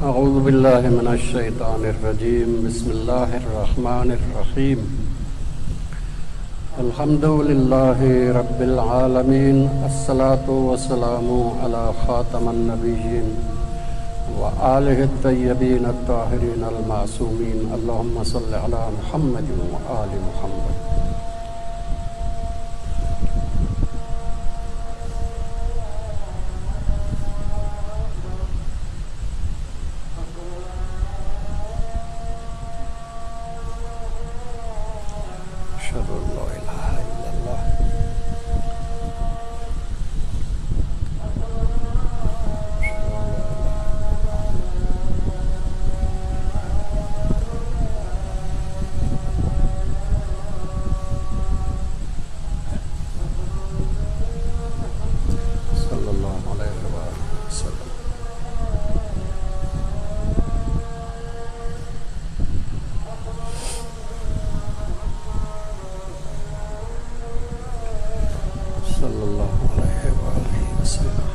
اعوذ بالله من الشيطان الرجيم بسم الله الرحمن الرحيم الحمد لله رب العالمين الصلاة والسلام على خاتم النبيين وآله الطيبين الطاهرين المعصومين اللهم صل على محمد وآل محمد. أشهد أن لا إله إلا الله. صلى الله عليه وآله وسلم. صلى الله عليه وآله وسلم.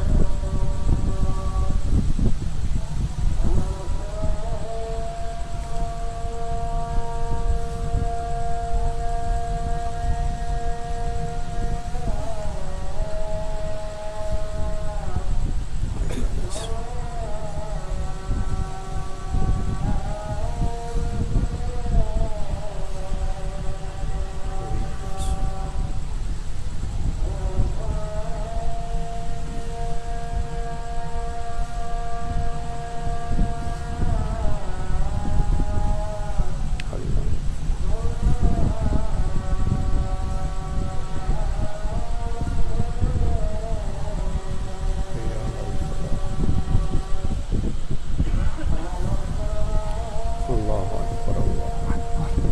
الله أكبر الله أكبر.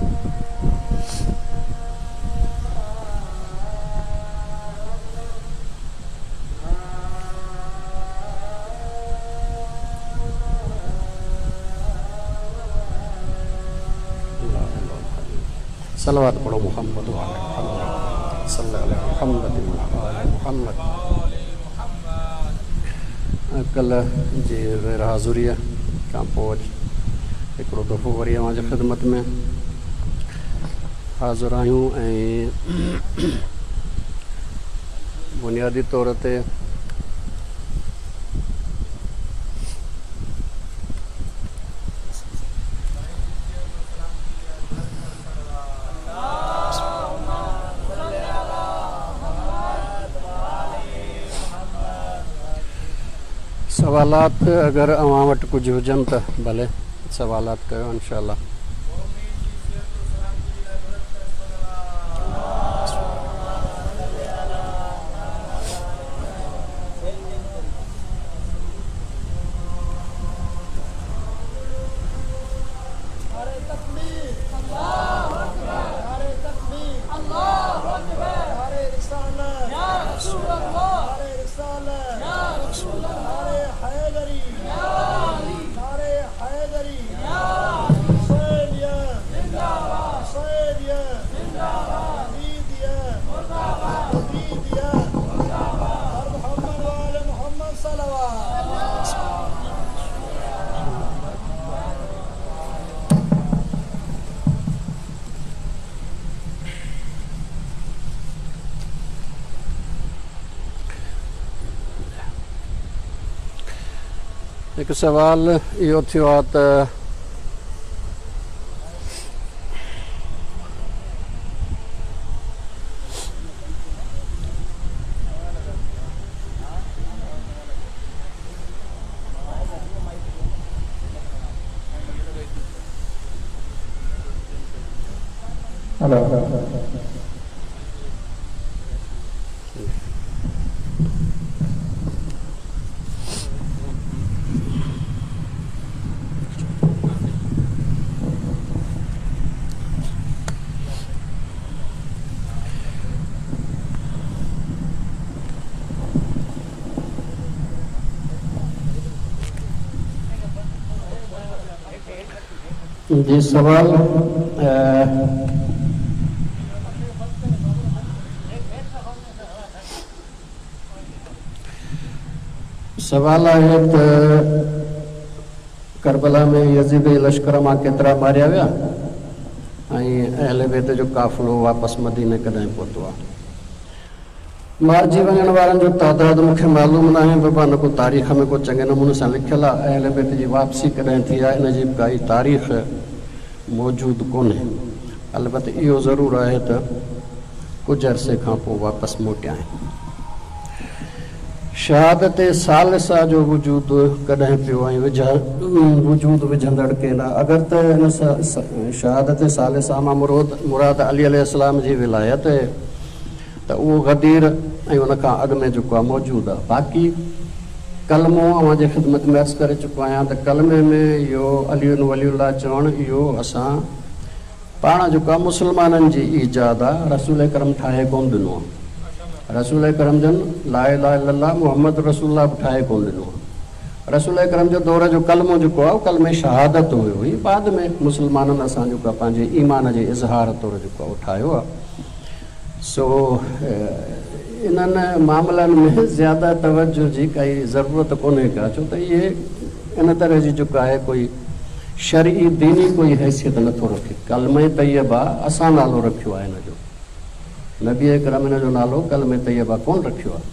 لا إله إلا الله. صلوات پڙهو محمد وآل محمد. صلي على محمد وآل محمد. ڪلهه جي غير حاضريء کان پوءِ اڄ هڪڙو دفعو وري اوهان جي خدمت ۾ حاضر آهيون ۽ بنيادي طور تي سوالات اگر اوهان وٽ ڪجهه هجن ته ڀلي سوالات ڪيو انشاء الله. هڪ سوال اهو ٿيو آهي ته جي سوال سوال آهي ته ڪربلا ۾ يزيدي لشڪر مان ڪيترا ماريا ويا ۽ اهل بيت جو قافلو واپس مديني ڪڏهن پهتو آهي؟ مارجي وڃڻ وارن جو تعداد مون کي معلوم ناهي بابا نه ڪو تاريخ ۾ ڪو چڱي نموني سان لکيل آهي. اهل بيت جي واپسي ڪڏهن ٿي آهي ان جي به ڪائي تاريخ موجود ڪونهي. البت اهو ضرور آهي ته ڪجهه عرصي کان پوء واپس موٽيا آهن. شهادت ثالثه جو وجود ڪڏهن پيو ۽ وجود وجهندڙ ڪير آهي؟ اگر ته ان شهادت ثالثه مان مراد علي عليه السلام جي ولايت آهي ته اهو غدير ۽ ان کان اڳ ۾ جيڪو آهي موجود آهي. باقي ڪلمو اوهان جي خدمت ۾ عرض ڪري چڪو آهيان ته ڪلمي ۾ اهو علي ولي الله چوڻ اهو اسان پاڻ جيڪو آ مسلمانن جي ايجاد آ رسول اڪرم ٺاهي ڪونه ڏنو آ. رسول اڪرم جن لا اله الا الله محمد رسول الله به ٺاهي ڪونه ڏنو آ. رسول اڪرم جو دور جو ڪلمو جيڪو آ اهو ڪلمه شهادت هيو هي بعد ۾ مسلمانن اسان جيڪو آ پنهنجي ايمان جي اظهار طور جيڪو آ اهو ٺاهيو آ. سو انهن معاملن ۾ زياده توجه جي ڪائي ضرورت ڪونهي ڪا ڇو ته اهي ان طرح جي جيڪو آهي ڪوئي شرعي ديني ڪوئي حيثيت نٿو رکي. ڪلمه طيبه اسان نالو رکيو آهي ان جو. نبي اڪرم ان جو نالو ڪلمه طيبه ڪونه رکيو آهي.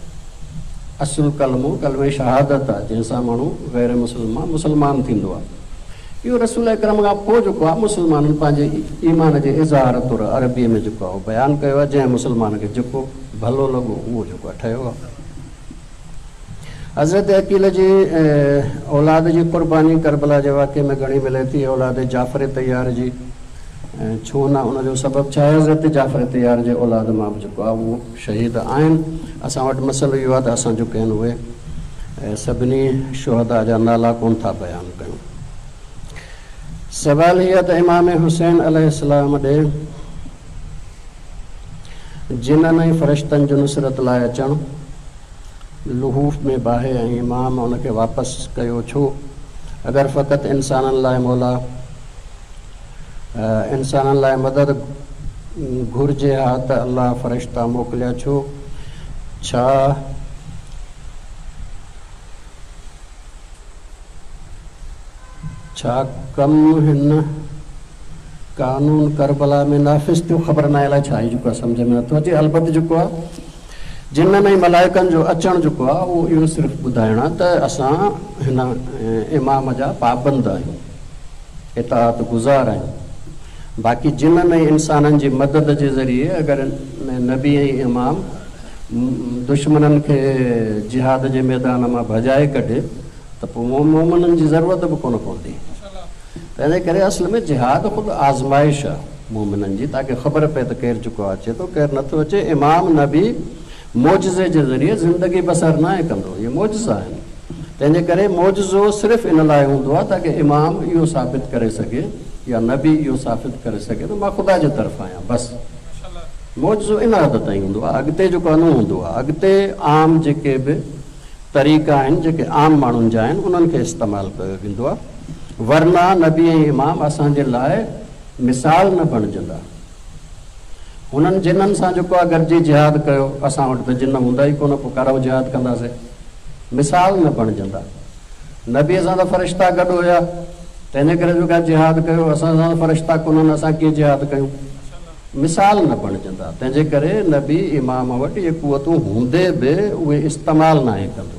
اصل ڪلمو ڪلمه شهادت آهي جنهن سان ماڻهو غير مسلم مان مسلمان ٿيندو آهي. اهو رسول اڪرم کان پوء جيڪو آهي مسلمانن پنهنجي ايمان جي اظهار طور عربيء ۾ جيڪو آهي اهو بيان ڪيو آهي جنهن مسلمان کي جيڪو ڀلو لڳو اهو جيڪو آهي ٺهيو آهي. حضرت عقيل جي اولاد جي قرباني ڪربلا جي واقعي ۾ گهڻي ملي ٿي. اولاد جعفر طيار جي ڇو نه ان جو سبب ڇا آهي؟ حضرت جعفر طيار جي اولاد مان به جيڪو آهي اهو شهيد آهن. اسان وٽ مسئلو اهو آهي ته اسان جيڪي آهن اهي سڀني شهداء جا نالا ڪونه ٿا بيان ڪيون. سوال هي آهي ته امام حسين عليه السلام ڏي جنن ۽ فرشتن جو نصرت لاء اچڻ لحوف ۾ باهه ۽ امام ان کي واپس ڪيو ڇو؟ اگر فقط انسانن لاء مولا انسانن لاء مدد گهرجي ها ته الله فرشتا موڪليا ڇو؟ ڇا ڇا ڪم هن قانون ڪربلا ۾ نافذ ٿيو؟ خبر ناهي الائي ڇا آهي جيڪو آهي سمجهه ۾ نٿو اچي البت جيڪو آهي جنن ۽ ملائڪن جو اچڻ جيڪو آهي اهو اهو صرف ٻڌائڻ آهي ته اسان هن امام جا پابند آهيون اطاعت گذار آهيون باقي جنن ۽ انسانن جي مدد جي ذريعي اگر نبي ۽ امام دشمنن کي جهاد جي ميدان مان ڀڄائي ڪڍي ته پوء مومنن جي ضرورت به ڪونه پوندي. تنهنجي ڪري اصل ۾ جهاد خود آزمائش آ مومنن جي تاڪه خبر پئي ته ڪير جيڪو اچي ٿو ڪير نٿو اچي. امام نبي معجزي جي ذريعي زندگي بسر ناهي ڪندو اهي معجزا آهن. تنهنجي ڪري معجزو صرف ان لاء هوندو آ تاڪه امام اهو ثابت ڪري سگهي يا نبي اهو ثابت ڪري سگهي ته مان خدا جي طرف آهيان بس. معجزو ان حد تائين هوندو آ اڳتي جيڪو آ نه هوندو آ اڳتي عام جيڪي به طريقا آهن جيڪي عام ماڻهن جا آهن انهن کي استعمال ڪيو ويندو آهي ورنه نبي ۽ امام اسان جي لاء مثال نه بڻجندا. هنن جنن سان جيڪو آهي گڏجي جهاد ڪيو اسان وٽ ته جن هوندا ئي ڪونه پوء ڪاڏانهن جهاد ڪنداسين مثال نه بڻجندا. نبي سان ته فرشتا گڏ هيا تنهنجي ڪري جيڪو آهي جهاد ڪيو اسان سان ته فرشتا ڪونهن اسان ڪيئن جهاد ڪيون. مثال نه بڻجندا، تنهن جي ڪري نبي امام وٽ اهي قوتون هوندي به اهي استعمال ناهي ڪندو.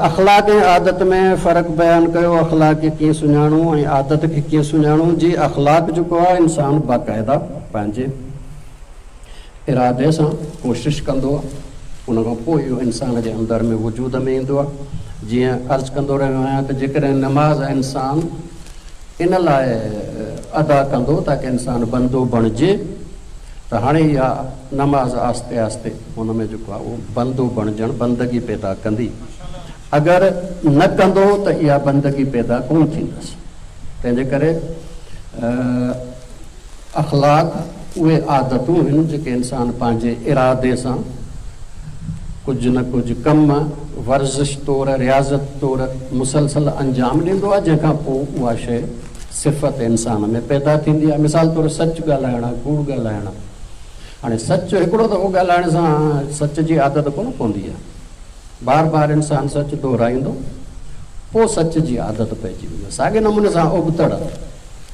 اخلاق ۽ عادت ۾ فرق بيان ڪيو، اخلاق کي ڪيئن سڃاڻون ۽ عادت کي ڪيئن سڃاڻون، جي اخلاق جيڪو آهي انسان باقاعده پنهنجي ارادي سان ڪوشش ڪندو آهي ان کان پوء اهو انسان جي اندر ۾ وجود ۾ ايندو آهي، جيئن عرض ڪندو رهيو آهيان ته جيڪڏهن نماز انسان ان لاء ادا ڪندو تاڪه انسان بندو بڻجي ته هاڻي اها نماز آهستي آهستي ان ۾ جيڪو آهي اهو بندو بڻجڻ بندگي پيدا ڪندي اگر نه ڪندو ته اها بندگي پيدا ڪونه ٿيندس تنهنجي ڪري اخلاق اهي عادتون هن جيڪي انسان پنهنجي ارادي سان ڪجهه نه ڪجهه ڪم ورزش طور رياضت طور مسلسل انجام ڏيندو آهي جنهن کان پوء اها شيء صفت انسان ۾ پيدا ٿيندي آهي مثال طور سچ ڳالهائڻ ڪوڙ ڳالهائڻ هاڻي سچ هڪڙو دفعو ڳالهائڻ سان سچ جي عادت ڪونه پوندي آهي بار بار انسان سچ دهرائيندو پوء سچ جي عادت پئجي ويندس. ساڳئي نموني سان ابتڙ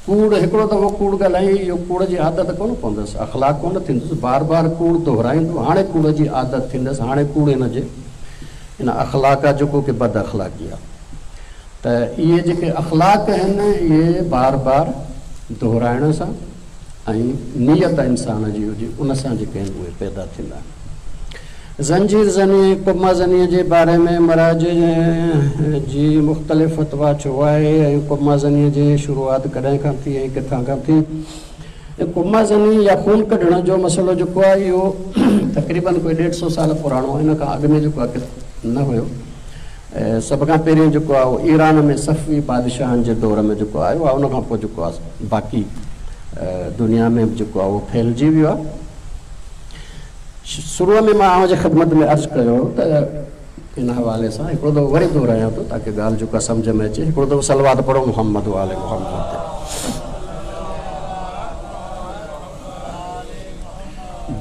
ڪوڙ هڪڙو دفعو ڪوڙ ڳالهائي اهو ڪوڙ جي عادت ڪونه پوندس، اخلاق ڪونه ٿيندس، بار بار ڪوڙ دهرائيندو، هاڻي ڪوڙ جي عادت ٿيندس، هاڻي ڪوڙ هن جي ان اخلاق آ جيڪو ڪي بد اخلاقي آ. ته اهي جيڪي اخلاق آهن اهي بار بار دهرائڻ سان ۽ نيت انسان جي هجي ان سان جيڪي آهن اهي پيدا ٿيندا آهن. زنجير زني ۽ قمه زني جي باري ۾ مراجع جي مختلف فتويٰ ڇو آهي ۽ قمه زني جي شروعات ڪڏهن کان ٿي ۽ ڪٿان کان ٿي؟ قمه زني يا خون ڪڍڻ جو مسئلو جيڪو آهي اهو تقريبن ڪوئي ڏيڍ سو سال پراڻو آهي ان کان اڳ ۾ جيڪو آهي نه هيو. سڀ کان پهرين جيڪو آهي اهو ايران ۾ صفوي بادشاهن جي دور ۾ جيڪو آيو آهي ان کان پوء جيڪو آهي باقي دنيا ۾ به جيڪو آهي اهو ڦهلجي ويو آهي. شروع ۾ مان اوهان جي خدمت ۾ عرض ڪيو هو ته ان حوالي سان هڪڙو دفعو وري دهرايان ٿو تاڪه ڳالهه جيڪا سمجهه ۾ اچي. هڪڙو دفعو صلوات پڙهو محمد وآل محمد تي.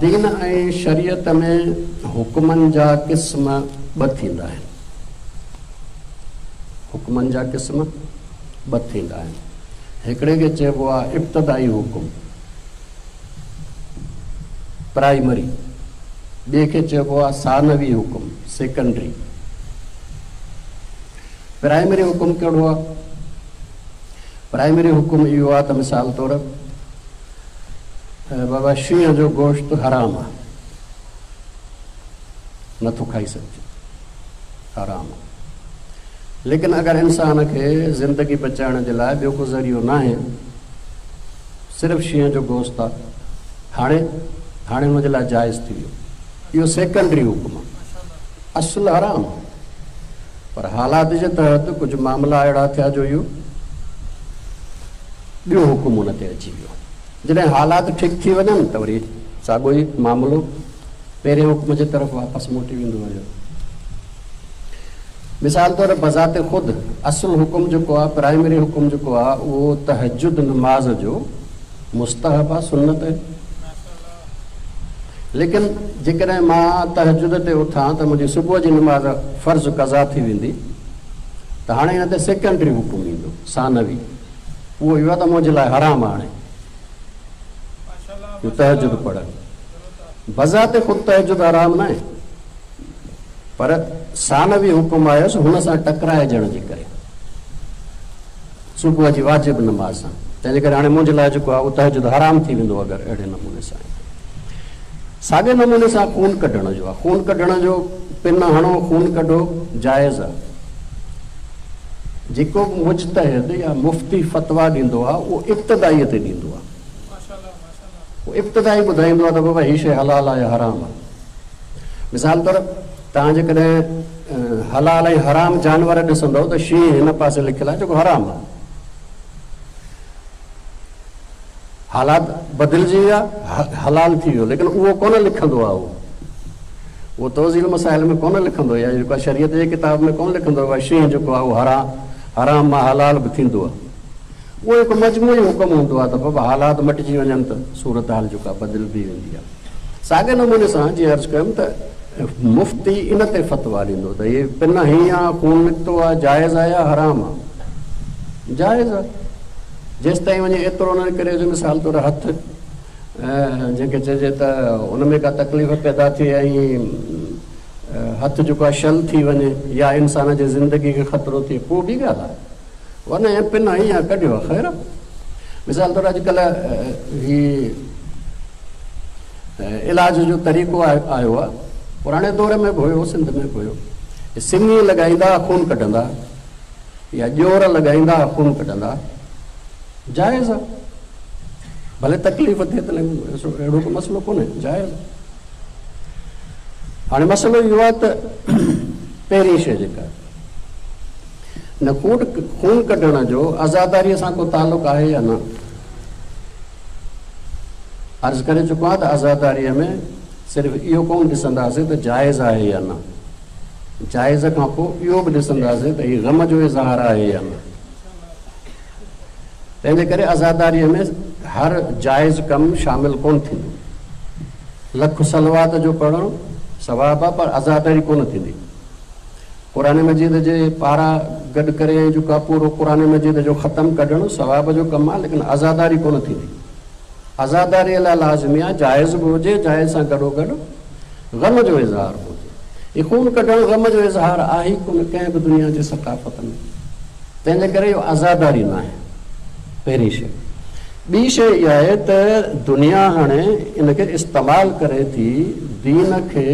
دين ۽ شريعت ۾ حڪمن جا قسم ٻه ٿيندا آهن. حڪمن جا قسم ٻه ٿيندا آهن. هڪڙي کي چئبو آهي ابتدائي حڪم، پرائمري، ٻئي کي چئبو آهي ثانوي حڪم، سيڪنڊري. پرائمري حڪم ڪهڙو آهي؟ پرائمري حڪم اهو آهي ته مثال طور بابا شينهن جو گوشت حرام آ، نٿو کائي سگهجي، حرام آ. ليڪن اگر انسان کي زندگي بچائڻ جي لاء ٻيو ڪو ذريعو ناهي، صرف شينهن جو گوشت آ، هاڻي هاڻي ان جي لاء جائز ٿي ويو. اهو سيڪنڊري حڪم آ، اصل حرام آ، پر حالات جي تحت ڪجهه معاملا اهڙا ٿيا جو اهو ٻيو حڪم ان تي اچي ويو. جڏهن حالات ٺيڪ ٿي وڃن ته وري ساڳيو ئي معاملو پهرين حڪم جي طرف واپس موٽي ويندو هيو. مثال طور بذات خود اصل حڪم جيڪو آهي، پرائمري حڪم جيڪو آهي اهو تهجد نماز جو مستحب آهي، سنت آهي. ليڪن جيڪڏهن مان تهجد تي اٿان ته منهنجي صبح جي نماز فرض قضا ٿي ويندي ته هاڻي ان تي سيڪنڊري حڪم ايندو، ثانوي. اهو اهو آهي ته منهنجي لاء حرام آهي جو تهجد پڙهڻ. بذات خود تهجد حرام ناهي پر ثانوي حڪم آيس هن سان ٽڪرائجڻ جي ڪري صبح جي واجب نماز سان، تنهن جي ڪري هاڻي منهنجي لاء جيڪو آهي اهو تهجد حرام ٿي ويندو اگر اهڙي نموني سان. ساڳئي نموني سان خون ڪڍڻ جو آهي، خون ڪڍڻ جو پن هڻو خون ڪڍو جائز آهي. جيڪو به مجتهد يا مفتي فتويٰ ڏيندو آهي اهو ابتدائيء تي ڏيندو آهي. اهو ابتدائي ٻڌائيندو آهي ته بابا هي شيء حلال آهي يا حرام آهي. مثال طور توهان جيڪڏهن حلال ۽ حرام جانور ڏسندؤ ته شينهن هن پاسي لکيل آهي جيڪو حرام آهي. حالات بدلجي ويا، حلال ٿي ويو، ليڪن اهو ڪونه لکندو آهي اهو. اهو توضيح المسائل ۾ ڪونه لکندو يا جيڪو آهي شريعت جي ڪتاب ۾ ڪونه لکندو آهي شينهن جيڪو آهي اهو حرام مان حلال به ٿيندو آهي. اهو هڪ مجموعي حڪم هوندو آهي ته بابا حالات مٽجي وڃن ته صورتحال جيڪا بدلبي ويندي آهي. ساڳئي نموني سان جيئن عرض ڪيم ته مفتي ان تي فتويٰ ڏيندو ته هي پن هين آهي، خون نڪتو آهي، جائز آهي يا حرام آهي؟ جائز آهي. جيستائين وڃي ايترو نه نڪري جو مثال طور هٿ جنهن کي چئجي ته ان ۾ ڪا تڪليف پيدا ٿئي ۽ هٿ جيڪو آهي شل ٿي وڃي يا انسان جي زندگي کي خطرو ٿئي پوء ٻي ڳالهه آهي ورنه ائين پن هنئي يا ڪڍيو آهي خير آهي. مثال طور اڄڪلهه هي علاج جو طريقو آيو آهي پراڻي دور ۾ به هيو سنڌ ۾ به هيو سڱي لڳائيندا خون ڪڍندا يا ڄور لڳائيندا خون ڪڍندا جائز آ ڀلي تڪليف ٿئي ته اهڙو ڪو مسئلو ڪونهي جائز هاڻي مسئلو اهو آهي ته پهرين شيء جيڪا نه خون خون ڪڍڻ جو عزاداريء سان ڪو تعلق آهي يا نه؟ عرض ڪري چڪو آهيان ته عزاداريء ۾ صرف اهو ڪونه ڏسنداسين ته جائز آهي يا نه، جائز کان پوء اهو به ڏسنداسين ته هي غم جو اظهار آهي يا نه. تنهن جي ڪري عزاداريء ۾ هر جائز ڪم شامل ڪونه ٿيندو. لک صلوات جو پڙهڻ ثواب آهي پر عزاداري ڪونه ٿيندي. قرآن مجيد جي پارا گڏ ڪري ۽ جيڪو آهي پورو قرآن مجيد جو ختم ڪڍڻ ثواب جو ڪم آهي ليڪن عزاداري ڪونه ٿيندي. عزاداريء لاء لازمي آهي جائز به هجي، جائز سان گڏوگڏ غم جو اظهار به هجي. هي خون ڪڍڻ غم جو اظهار آهي ئي ڪونه ڪنهن به دنيا جي ثقافت ۾. تنهن جي ڪري اهو عزاداري ناهي. پهرين شيء. ٻي شيء اها آهي ته دنيا هاڻي ان کي استعمال ڪري ٿي دين کي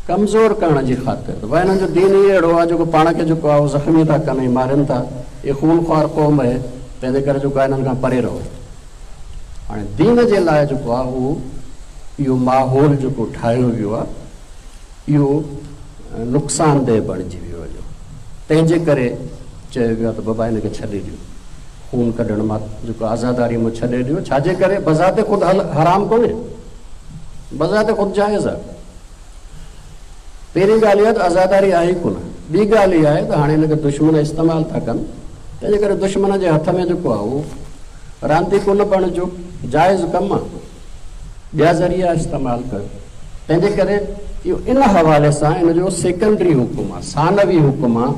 ڪمزور ڪرڻ جي خاطر ته ڀائي هنن جو دين ئي اهڙو آهي جيڪو پاڻ کي جيڪو آهي اهو زخمي ٿا ڪن ۽ مارين ٿا. هي خونخوار قوم اهي تنهن جي ڪري جيڪو آهي هنن کان پري رهو. هاڻي دين جي لاء جيڪو آهي اهو اهو ماحول جيڪو ٺاهيو ويو آهي اهو نقصانده بڻجي ويو هليو. تنهن جي ڪري چيو ويو آهي ته بابا هن کي ڇڏي ڏيو. خون ڪڍڻ مان جيڪو عزاداري مان ڇڏي ڏيو. ڇا جي ڪري بذات خود حرام ڪونهي. بذات خود جائز آهي. پهرين ڳالهه اها ته عزاداري آهي ئي ڪونه. ٻي ڳالهه اها آهي ته هاڻي هن کي دشمن استعمال ٿا ڪن، تنهن جي ڪري دشمن جي هٿ ۾ جيڪو آهي اهو رانديڪو نه بڻجو، جائز ڪم آهي، ٻيا ذريعا استعمال ڪيو. تنهن جي ڪري اهو ان حوالي سان ان جو سيڪنڊري حڪم آهي، ثانوي حڪم آهي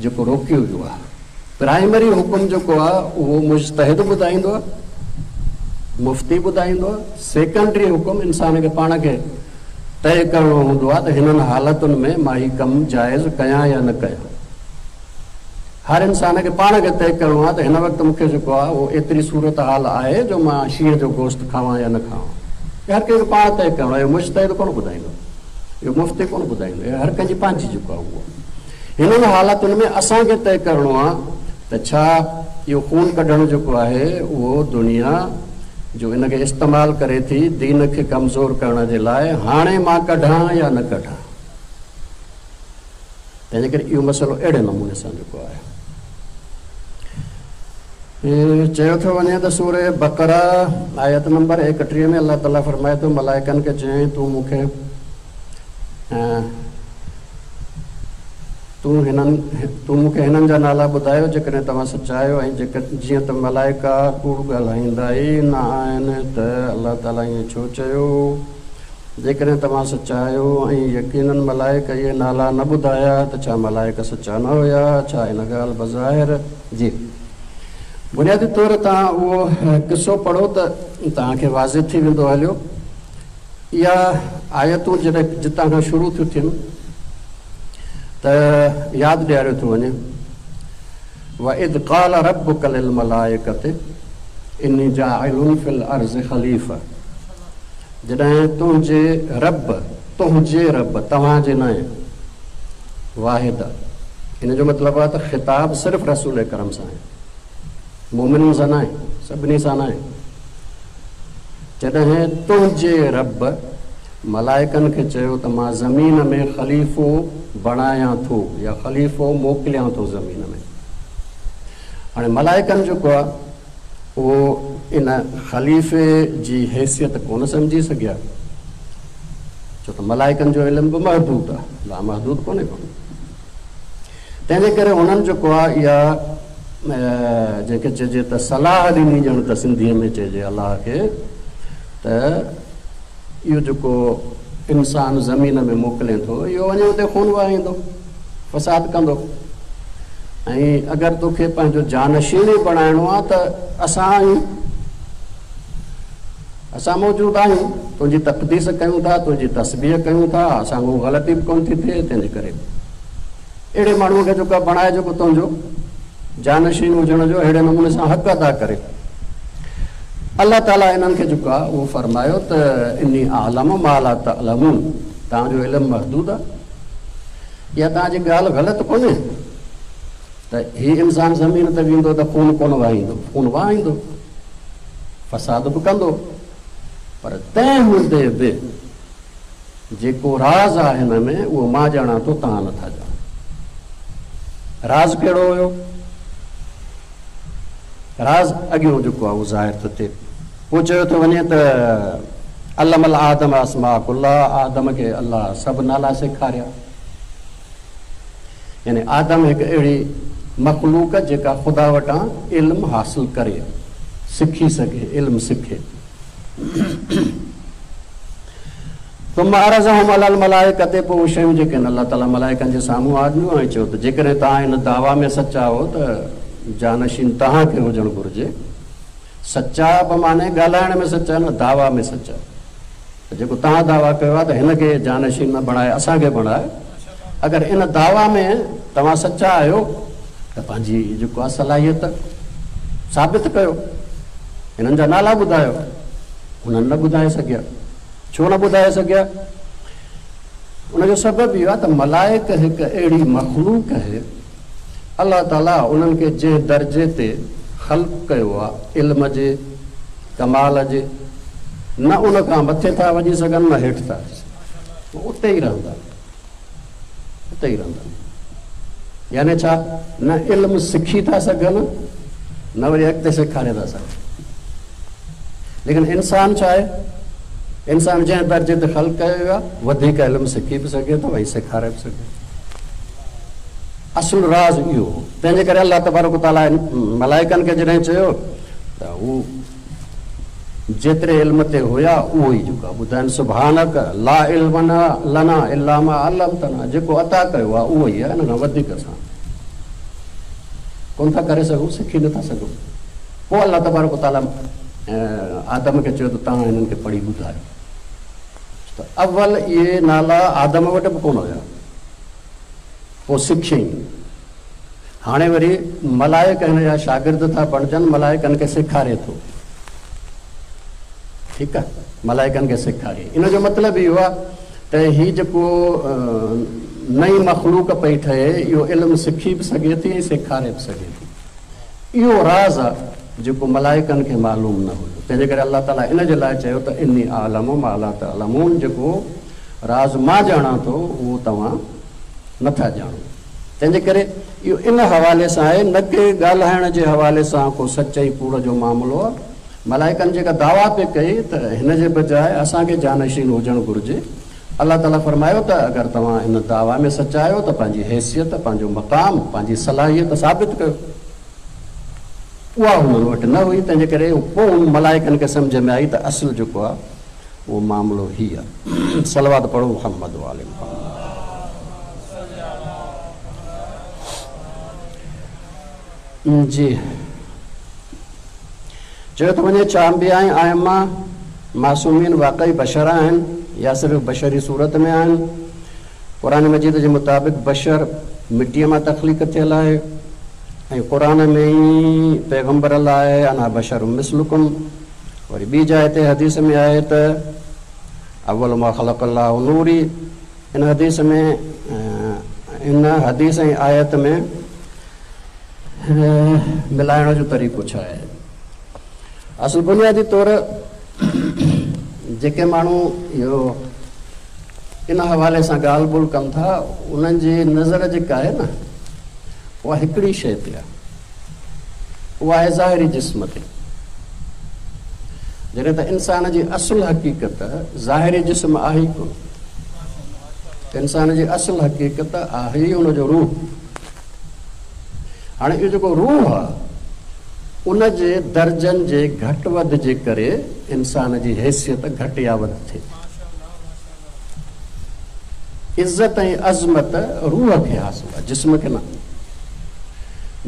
جيڪو روڪيو ويو آهي. پرائمري حڪم جيڪو آهي اهو مجتهد ٻڌائيندو آهي، مفتي ٻڌائيندو آهي، سيڪنڊري حڪم انسان کي پاڻ کي طئي ڪرڻو هوندو آهي ته هنن حالتن ۾ مان هي ڪم جائز ڪيان يا نه ڪيان. هر انسان کي پاڻ کي طئي ڪرڻو آهي ته هن وقت مون کي جيڪو آهي اهو ايتري صورتحال آهي جو مان شينهن جو گوشت کاوان يا نه کاوان. هي هر ڪنهن کي پاڻ طئي ڪرڻو آهي، اهو مجتهد ڪونه ٻڌائيندو، اهو مفتي ڪونه ٻڌائيندو، اهو هر ڪنهن جي پنهنجي جيڪو آهي اهو. هنن حالتن ۾ اسان کي طئي ڪرڻو آهي ته ڇا اهو خون ڪڍڻ جيڪو آهي اهو دنيا جو ان کي استعمال ڪري ٿي دين کي ڪمزور ڪرڻ جي لاء هاڻي مان ڪڍان يا نه ڪڍان. تنهن جي ڪري اهو مسئلو اهڙي نموني سان جيڪو آهي. چيو ٿو وڃي ته سوره بقره آيت نمبر 31 ۾ الله تعالي فرمائي ٿو ملائڪن کي چيائين تون مون کي تون هنن تون مون کي هنن جا نالا ٻڌايو جيڪڏهن توهان سچا آهيو ۽ جيئن ته ملائڪا ڪوڙ ڳالهائيندا ئي نه آهن ته الله تعالي ائين ڇو چيو؟ جيڪڏهن توهان سچا آهيو ۽ يقيناً ملائڪ اهي نالا نه ٻڌايا ته ڇا ملائڪ سچا نه هيا؟ ڇا ان ڳالهه بظاهر جي بنيادي طور توهان اهو قصو پڙهو ته توهان کي واضح ٿي ويندو هليو. اها آيتون جڏهن جتان کان شروع ٿيون ٿين ته ياد ڏياريو ٿو وڃي واذ قال ربک للملائڪة اني جاعل في الارض خليفة جڏهن تنهنجي رب تنهنجي رب توهان جي ناهي واحد ان جو مطلب آهي ته خطاب صرف رسول اڪرم سان آهي مؤمنن سان ناهي، سڀني سان ناهي. جڏهن تنهنجي رب ملائڪن کي چيو ته مان زمين ۾ خليفو بڻايان ٿو يا خليفو موڪليان ٿو زمين ۾. هاڻي ملائڪن جيڪو آهي اهو ان خليفي جي حيثيت ڪونه سمجهي سگهيا، ڇو ته ملائڪن جو علم به محدود آهي، لامحدود ڪونهي ڪو. تنهن جي ڪري هنن جيڪو آهي اها جنهن کي چئجي ته صلاح ڏني ڄڻ ته سنڌيء ۾ چئجي الله کي ته اهو جيڪو انسان زمين ۾ موڪلين ٿو اهو وڃي اتي خون وهائيندو فساد ڪندو ۽ اگر توکي پنهنجو جانشين ئي بڻائڻو آهي ته اسان آهيون اسان موجود آهيون تنهنجي تقديس ڪيون ٿا تنهنجي تسبيح ڪيون ٿا اسان کان غلطي به ڪونه ٿي ٿئي تنهنجي ڪري اهڙي ماڻهوء کي جيڪو بڻائي جيڪو تنهنجو جانشين هجڻ جو اهڙي نموني سان حق ادا ڪري. الله تعاليٰ انهن کي جيڪو آهي اهو فرمايو ته اني اعلم ما لا تعلمون توهان جو علم محدود آهي اها توهان جي ڳالهه غلط ڪونهي ته هي انسان زمين تي ويندو ته خون ڪونه وهائيندو خون وهائيندو فساد به ڪندو پر تنهن هوندي به جيڪو راز آهي هن ۾ اهو مان ڄاڻان ٿو توهان نه ٿا ڄاڻو. راز ڪهڙو هيو؟ راز اڳيون جيڪو آهي اهو ظاهر ٿو ٿئي. پوء چيو ٿو وڃي ته علم الآدم اسماء ڪلها آدم کي الله سڀ نالا سيکاريا. يعني آدم هڪ اهڙي مخلوق جيڪا خدا وٽان علم حاصل ڪري، سکي سگهي، علم سکي. ثم عرضهم علي الملائڪة پوء اهي شيون جيڪي آهن الله تعاليٰ ملائڪن جي سامهون آنديون ۽ چيو ته جيڪڏهن توهان ان دعويٰ ۾ سچا آهو ته جانشين توهان کي هجڻ گهرجي. سچا بمعنيٰ ڳالهائڻ ۾ سچا نه دعويٰ ۾ سچا ته جيڪو توهان دعويٰ ڪيو آهي ته هن کي جانشين نه بڻائي اسان کي بڻائي اگر ان دعويٰ ۾ توهان سچا آهيو ته پنهنجي جيڪو آهي صلاحيت ثابت ڪيو هنن جا نالا ٻڌايو انهن نه ٻڌائي سگهيا. ڇو نه ٻڌائي سگهيا؟ ان جو سبب اهو آهي ته ملائڪ هڪ اهڙي مخلوق آهي، الله تعاليٰ انهن کي جنهن درجي تي خلق ڪيو آهي، علم جي، ڪمال جي، نه ان کان مٿي ٿا وڃي سگهن نه هيٺ ٿا اچي سگهن، اتي ئي رهندا. اتي ئي رهندا. يعني ڇا؟ نه علم سکي ٿا سگهن نه وري اڳتي سيکاري ٿا سگهن. ليڪن انسان ڇا آهي؟ انسان جنهن درجي تي خلق ڪيو ويو آهي وڌيڪ علم سکي به سگهي ٿو ۽ سيکاري به سگهي ٿو. اصل راز اهو هو. تنهن جي ڪري الله تبارڪ وتعاليٰ ملائڪن کي جڏهن چيو ته هو جيتري علم تي هيا اهو ئي جيڪو آهي ٻڌائين سبحانڪ لا علم لنا الا ما علمتنا جيڪو عطا ڪيو آهي اهو ئي آهي ان کان وڌيڪ اسان ڪونه ٿا ڪري سگهون سکي نٿا سگهون پوء الله تبارڪ وتعاليٰ آدم کي چيو ته توهان هنن کي پڙهي ٻڌايو ته اول اهي نالا آدم وٽ به ڪونه هيا پوء سکيائين هاڻي وري ملائڪ هن جا شاگرد ٿا بڻجن، ملائڪن کي سيکاري ٿو. ٺيڪ آ، ملائڪن کي سيکاري. ان جو مطلب اهو آ ته هي جيڪو نئين مخلوق پئي ٺهي، اهو علم سکي به سگهي ٿي ۽ سيکاري به سگهي ٿي. اهو راز آ جيڪو ملائڪن کي معلوم نه هيو. تنهن جي ڪري الله تعاليٰ ان جي لاء چيو ته اني اعلم ما لا تعلمون جيڪو راز مان ڄاڻان ٿو، اهو توهان نه ٿا ڄاڻو. تنهن جي ڪري اهو ان حوالي سان آهي نه ڪي ڳالهائڻ جي حوالي سان ڪو سچ ۽ ڪوڙ جو معاملو آهي. ملائڪن جيڪا دعويٰ پئي ڪئي ته هن جي بجاء اسان کي جانشين هجڻ گهرجي. الله تعاليٰ فرمايو ته اگر توهان ان دعويٰ ۾ سچا آهيو ته پنهنجي حيثيت، پنهنجو مقام، پنهنجي صلاحيت ثابت ڪيو. اها هنن وٽ نه هئي، تنهن جي ڪري پوء ملائڪن کي سمجهه ۾ آئي ته اصل جيڪو آهي اهو معاملو هي آ. صلوات پڙهو محمد وآل محمد. جي چيو ٿو وڃي ڇا انبياء ۽ ائمه معصومين واقعي بشر آهن يا صرف بشري صورت ۾ آهن؟ قرآن مجيد جي مطابق بشر مٽيء مان تخليق ٿيل آهي ۽ قرآن ۾ ئي پيغمبر لاء انا بشر مثلڪم وري ٻي جاء تي حديث ۾ آهي ته اول ما خلق الله نوري ان حديث ۾ ان حديث ۽ آيت ۾ ملائڻ جو طريقو ڇا آهي؟ اصل بنيادي طور جيڪي ماڻهو اهو ان حوالي سان ڳالهه ٻولهه ڪن ٿا انهن جي نظر جيڪا آهي نه اها هڪڙي شيء تي آهي اها آهي ظاهري جسم تي. جڏهن ته انسان جي اصل حقيقت ظاهري جسم آهي ئي ڪونه. انسان جي اصل حقيقت آهي ئي ان جو روح. هاڻي اهو جيڪو روح آهي ان جي درجن جي گهٽ وڌ جي ڪري انسان جي حيثيت گهٽ يا وڌ ٿئي ٿي. عزت ۽ عظمت روح کي حاصل آهي، جسم کي نه.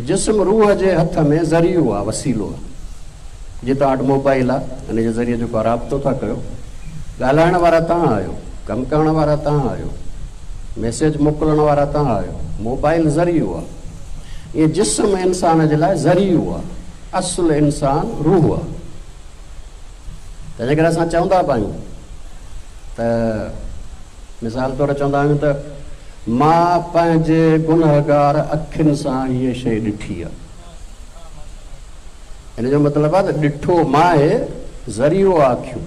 جسم روح جي هٿ ۾ ذريعو آهي، وسيلو آهي. جيئن توهان وٽ موبائل آهي، ان جي ذريعي جيڪو آهي رابطو ٿا ڪيو. ڳالهائڻ وارا توهان آهيو، ڪم ڪرڻ وارا توهان آهيو، ميسيج موڪلڻ وارا توهان آهيو. موبائل ذريعو آهي. ائين جسم انسان جي لاء ذريعو آهي، اصل انسان روح آهي. تنهنجي ڪري اسان چوندا به آهيون ته مثال طور چوندا آهيون ته مان پنهنجي گنهگار اکين سان هيء شيء ڏٺي آهي. ان جو مطلب آهي ته ڏٺو مان آهي، ذريعو آهي اکيون.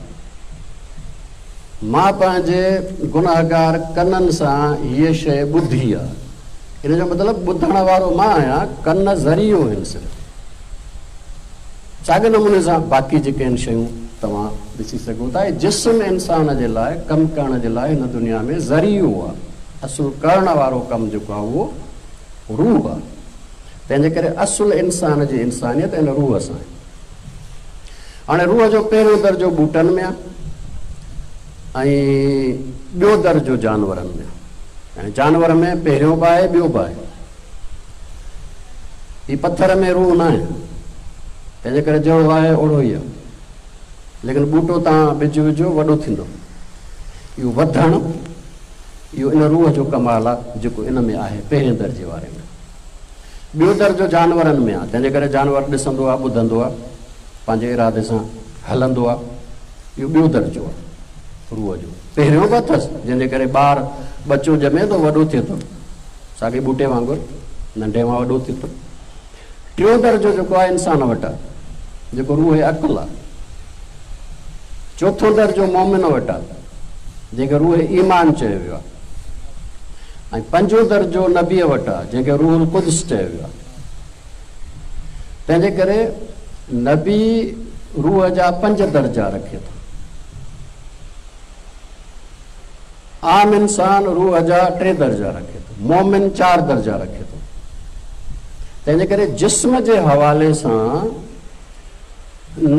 مان پنهنجي گنهگار ڪنن سان هيء شيء ٻڌي آهي. ان جو مطلب ٻڌڻ وارو مان آهيان، ڪن ذريعو آهن صرف. ساڳئي نموني سان باقي جيڪي آهن شيون توهان ڏسي سگهو ٿا. هي جسم انسان جي لاء ڪم ڪرڻ جي لاء هن دنيا ۾ ذريعو آهي. اصل ڪرڻ وارو ڪم جيڪو آهي اهو روح آهي. تنهن جي ڪري اصل انسان جي انسانيت ان روح سان آهي. هاڻي روح جو پهريون درجو ٻوٽن ۾ آهي ۽ ٻيو درجو جانورن ۾، يعني جانور ۾ پهريون به آهي ٻيو به آهي. هي پٿر ۾ روح ناهي، تنهنجي ڪري جهڙو آهي اوڙو ئي آهي. ليڪن ٻوٽو تان ٻج وجهو وڏو ٿيندو. اهو وڌڻ اهو ان روح جو ڪمال آهي جيڪو ان ۾ آهي پهرين درجي واري ۾. ٻيو درجو جانورن ۾ آهي، تنهنجي ڪري جانور ڏسندو آهي، ٻڌندو آهي، پنهنجي ارادي سان هلندو آهي. اهو ٻيو درجو آهي روح جو. پهريون به اٿس، جنهن جي ڪري ٻار ٻچو ڄمي ٿو وڏو ٿئي ٿو، ساڳئي ٻوٽي وانگر ننڍي مان وڏو ٿئي ٿو. ٽيون درجو جيڪو آهي انسان وٽ آهي، جيڪو روح عقل آهي. چوٿون درجو مومن وٽ آهي، جنهن کي روح ايمان چيو ويو آهي. ۽ پنجون درجو نبيء وٽ آهي، جنهن کي روح القدس چيو ويو آهي. تنهن جي ڪري نبي روح جا پنج درجا رکي ٿو. عام انسان روح جا ٽي درجا رکي ٿو، مومن چار درجا رکي ٿو. تنهن جي ڪري جسم جي حوالي سان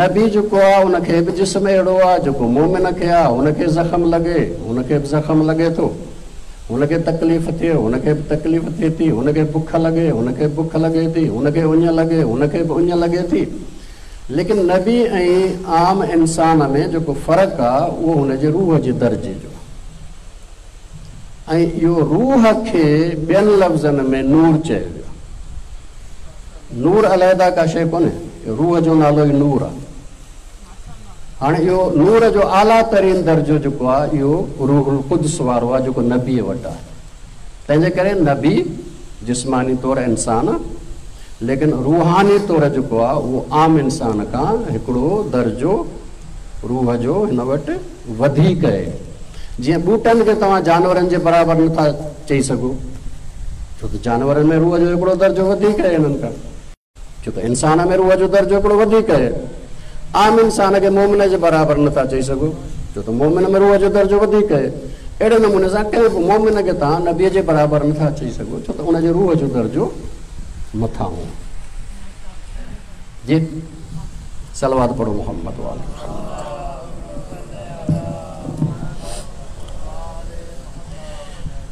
نبي جيڪو آهي ان کي به جسم اهڙو آهي جيڪو مومن کي آهي، هن کي زخم لڳي، هن کي به زخم لڳي ٿو، هن کي تڪليف ٿئي، هن کي به تڪليف ٿئي ٿي، هن کي بک لڳي، هن کي بک لڳي ٿي، هن کي اڃ لڳي، هن کي به اڃ لڳي ٿي. ليڪن نبي ۽ عام انسان ۾ جيڪو فرق آ اهو هن جي روح جي درجي جو آ ۽ اهو روح کي ٻين لفظن ۾ نور چيو ويو آ. نور علحده ڪا شيء ڪونهي، روح جو نالو ئي نور آ. هاڻي اهو نور جو اعليٰ ترين درجو جيڪو آ اهو روح القدس وارو آ جيڪو نبيء وٽ آ. تنهن جي ڪري نبي جسماني طور انسان آ ليڪن روحاني طور جيڪو آ اهو عام انسان کان هڪڙو درجو روح جو هن وٽ وڌيڪ آهي. جيئن ٻوٽن کي توهان جانورن جي برابر نٿا چئي سگهو ڇو ته جانورن ۾ روح جو هڪڙو درجو وڌيڪ آهي هنن کان. ڇو ته انسان ۾ روح جو درجو هڪڙو وڌيڪ آهي. عام انسان کي مؤمن جي برابر نه ٿا چئي سگهو، ڇو ته مؤمن ۾ روح جو درجو وڌيڪ آهي. اهڙي نموني سان ڪنهن به مؤمن کي توهان نبيء جي برابر نه ٿا چئي سگهو، ڇو ته ان جي روح جو درجو مٿانهون آهي. جي صلوات پڙهو محمد وآله محمد.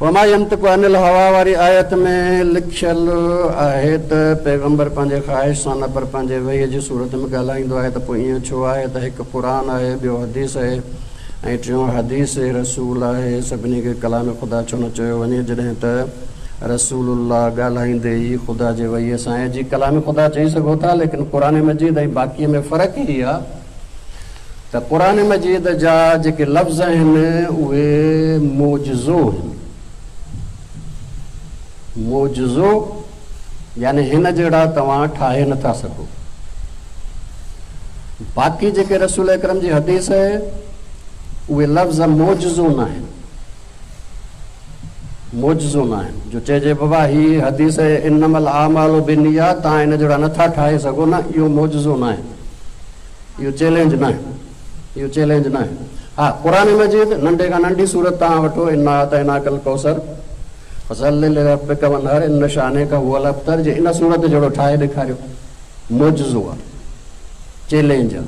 وما ينطق عن الهويٰ واري آيت ۾ لکيل آهي ته پيغمبر پنهنجي خواهش سان نه پر پنهنجي وحي جي صورت ۾ ڳالهائيندو آهي ته پوء ائين ڇو آهي ته هڪ قرآن آهي ٻيو حديث آهي ۽ ٽيون حديث رسول آهي سڀني کي ڪلام خدا ڇو نه چيو وڃي جڏهن ته رسول الله ڳالهائيندي ئي خدا جي وحي سان آهي جي ڪلام خدا چئي سگهو ٿا ليڪن قرآن مجيد ۽ باقي ۾ فرق هي آهي ته قرآن مجيد جا جيڪي لفظ آهن اهي معجزو آهن. معجزو يعني هن جهڙا توهان ٺاهي نه ٿا سگهو. باقي جيڪي رسول اڪرم جي حديث آهي اهي لفظ معجزو ناهن. معجزو ناهن جو چئجي بابا هي حديث آهي انما الاعمال بالنيات توهان هن جهڙا نه ٿا ٺاهي سگهو نه اهو معجزو ناهي. اهو چئلينج ناهي اهو چئلينج ناهي ها قرآن مجيد ننڍي کان ننڍي سورت توهان وٺو انا اعطيناڪ الڪوثر فصل لربڪ وانحر ان شانئڪ هو الابتر جي ان سورت جهڙو ٺاهي ڏيکاريو معجزو آهي چئلينج آهي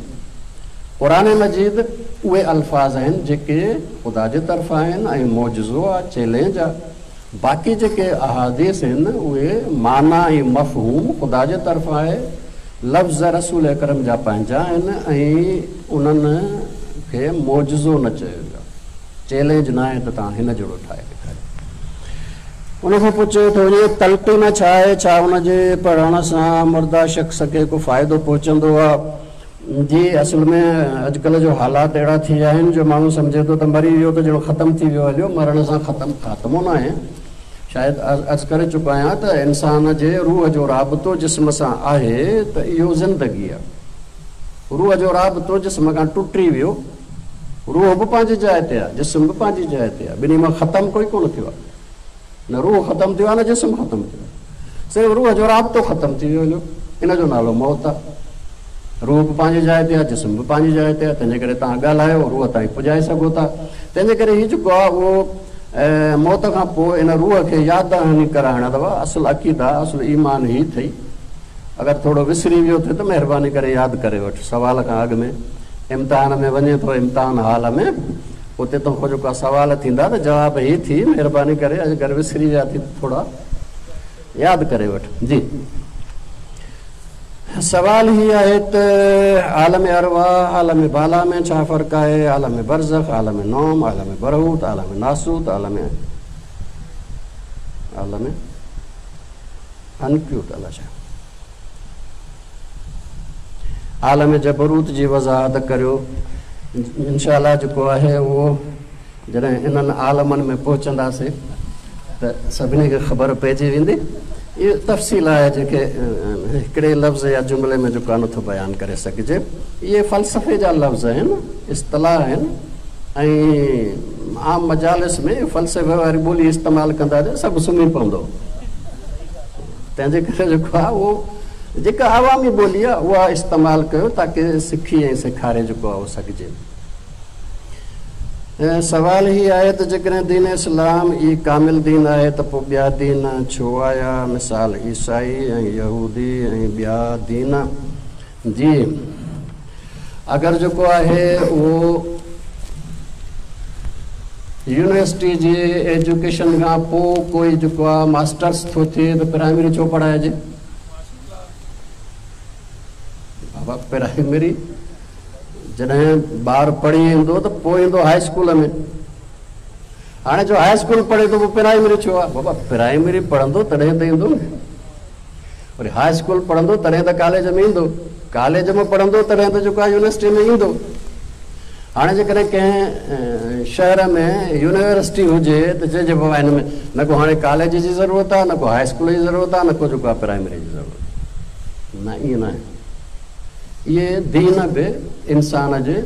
قرآن مجيد اهي الفاظ آهن جيڪي خدا جي طرفان آهن ۽ معجزو آهي چئلينج آهي باقي جيڪي احاديث آهن اهي معنيٰ ۽ مفهوم خدا جي طرفان آهي، لفظ رسول اڪرم جا پنهنجا آهن ۽ انهن کي معجزو نه چيو ويو آهي، چئلينج ناهي ته توهان هن جهڙو ٺاهي ڏيکاريو. ان کان پوء چيو ٿو وڃي تلقين ڇا آهي؟ ڇا ان جي پڙهڻ سان مرده شخص کي ڪو فائدو پهچندو آهي؟ جي اصل ۾ اڄڪلهه جو حالات اهڙا ٿي ويا آهن جو ماڻهو سمجهي ٿو ته مري ويو ته ڄڻ ختم ٿي ويو هليو مرڻ سان ختم خاتمو ناهي شايد عرض ڪري چڪو آهيان ته انسان جي روح جو رابطو جسم سان آهي ته اهو زندگي آهي روح جو رابطو جسم کان ٽٽي ويو روح به پنهنجي جاء تي آهي جسم به پنهنجي جاء تي آهي ٻنهي مان ختم ڪوئي ڪونه ٿيو آهي نه روح ختم ٿيو آهي نه جسم ختم ٿيو آهي صرف روح جو رابطو ختم ٿي ويو هليو ان جو نالو موت آهي روح به پنهنجي جاء تي آهي جسم به پنهنجي جاء تي آهي تنهنجي ڪري توهان ڳالهايو روح تائين پڄائي سگهو ٿا تنهنجي ڪري هي جيڪو آهي اهو موت کان پوء ان روح کي ياد دهاني ڪرائڻ اٿو اصل عقيده اصل ايمان هي اٿئي اگر ٿورو وسري ويو اٿئي ته مهرباني ڪري ياد ڪري وٺ سوال کان اڳ ۾ امتحان ۾ وڃين ٿو امتحان هال ۾ اتي توکان جيڪو آ سوال ٿيندا ته جواب هي ٿي مهرباني ڪري اگر وسري ويا ٿي ته ٿورا ياد ڪري وٺ. جي سوال هي آهي ته عالم ارواح عالم بالا ۾ ڇا فرق آهي؟ عالم برزخ، عالم نوم، عالم برهوت، عالم ناسوت، عالم عالم عنقيوت الاء ڇا عالم جبروت جي وضاحت ڪريو. انشاء الله جيڪو آهي اهو جڏهن انهن عالمن ۾ پهچنداسين ته سڀني کي خبر پئجي ويندي. اهو تفصيل آهي جيڪي هڪڙي لفظ يا جملي ۾ جيڪو آهي نٿو بيان ڪري سگهجي. اهي فلسفي جا لفظ آهن، اصطلاح آهن ۽ عام مجالس ۾ فلسفي واري ٻولي استعمال ڪندا ته سڀ سمهي پوندو. تنهن جي ڪري جيڪو آهي اهو جيڪا عوامي ٻولي آهي اها استعمال ڪيو تاڪه سکي ۽ سيکاري جيڪو آهي اهو سگهجي. سوال هي آهي ته جيڪڏهن دين اسلام ئي ڪامل دين آهي ته پوء ٻيا دين ڇو آيا مثال عيسائي ۽ يهودي ۽ ٻيا دين جي اگر جيڪو آهي اهو يونيورسٽي جي ايجوڪيشن کان پوء ڪوئي جيڪو آهي ماسٽرس ٿو ٿئي ته پرائمري ڇو پڙهائجي؟ بابا پرائمري جڏهن ٻار پڙهي ايندو ته پوء ايندو هاء اسڪول ۾. هاڻي جو هاء اسڪول پڙهي ٿو پوء پرائمري ڇو آهي؟ بابا پرائمري پڙهندو تڏهن ته ايندو نه. وري هاء اسڪول پڙهندو تڏهن ته ڪاليج ۾ ايندو، ڪاليج ۾ پڙهندو تڏهن ته جيڪو آهي يونيورسٽي ۾ ايندو. هاڻي جيڪڏهن ڪنهن شهر ۾ يونيورسٽي هجي ته چئجي بابا هن ۾ نه ڪو هاڻي ڪاليج جي ضرورت آهي نه ڪو هاء اسڪول جي ضرورت آهي نه ڪو جيڪو آهي پرائمري جي ضرورت آهي. نه ائين ناهي. اهي دين به انسان جي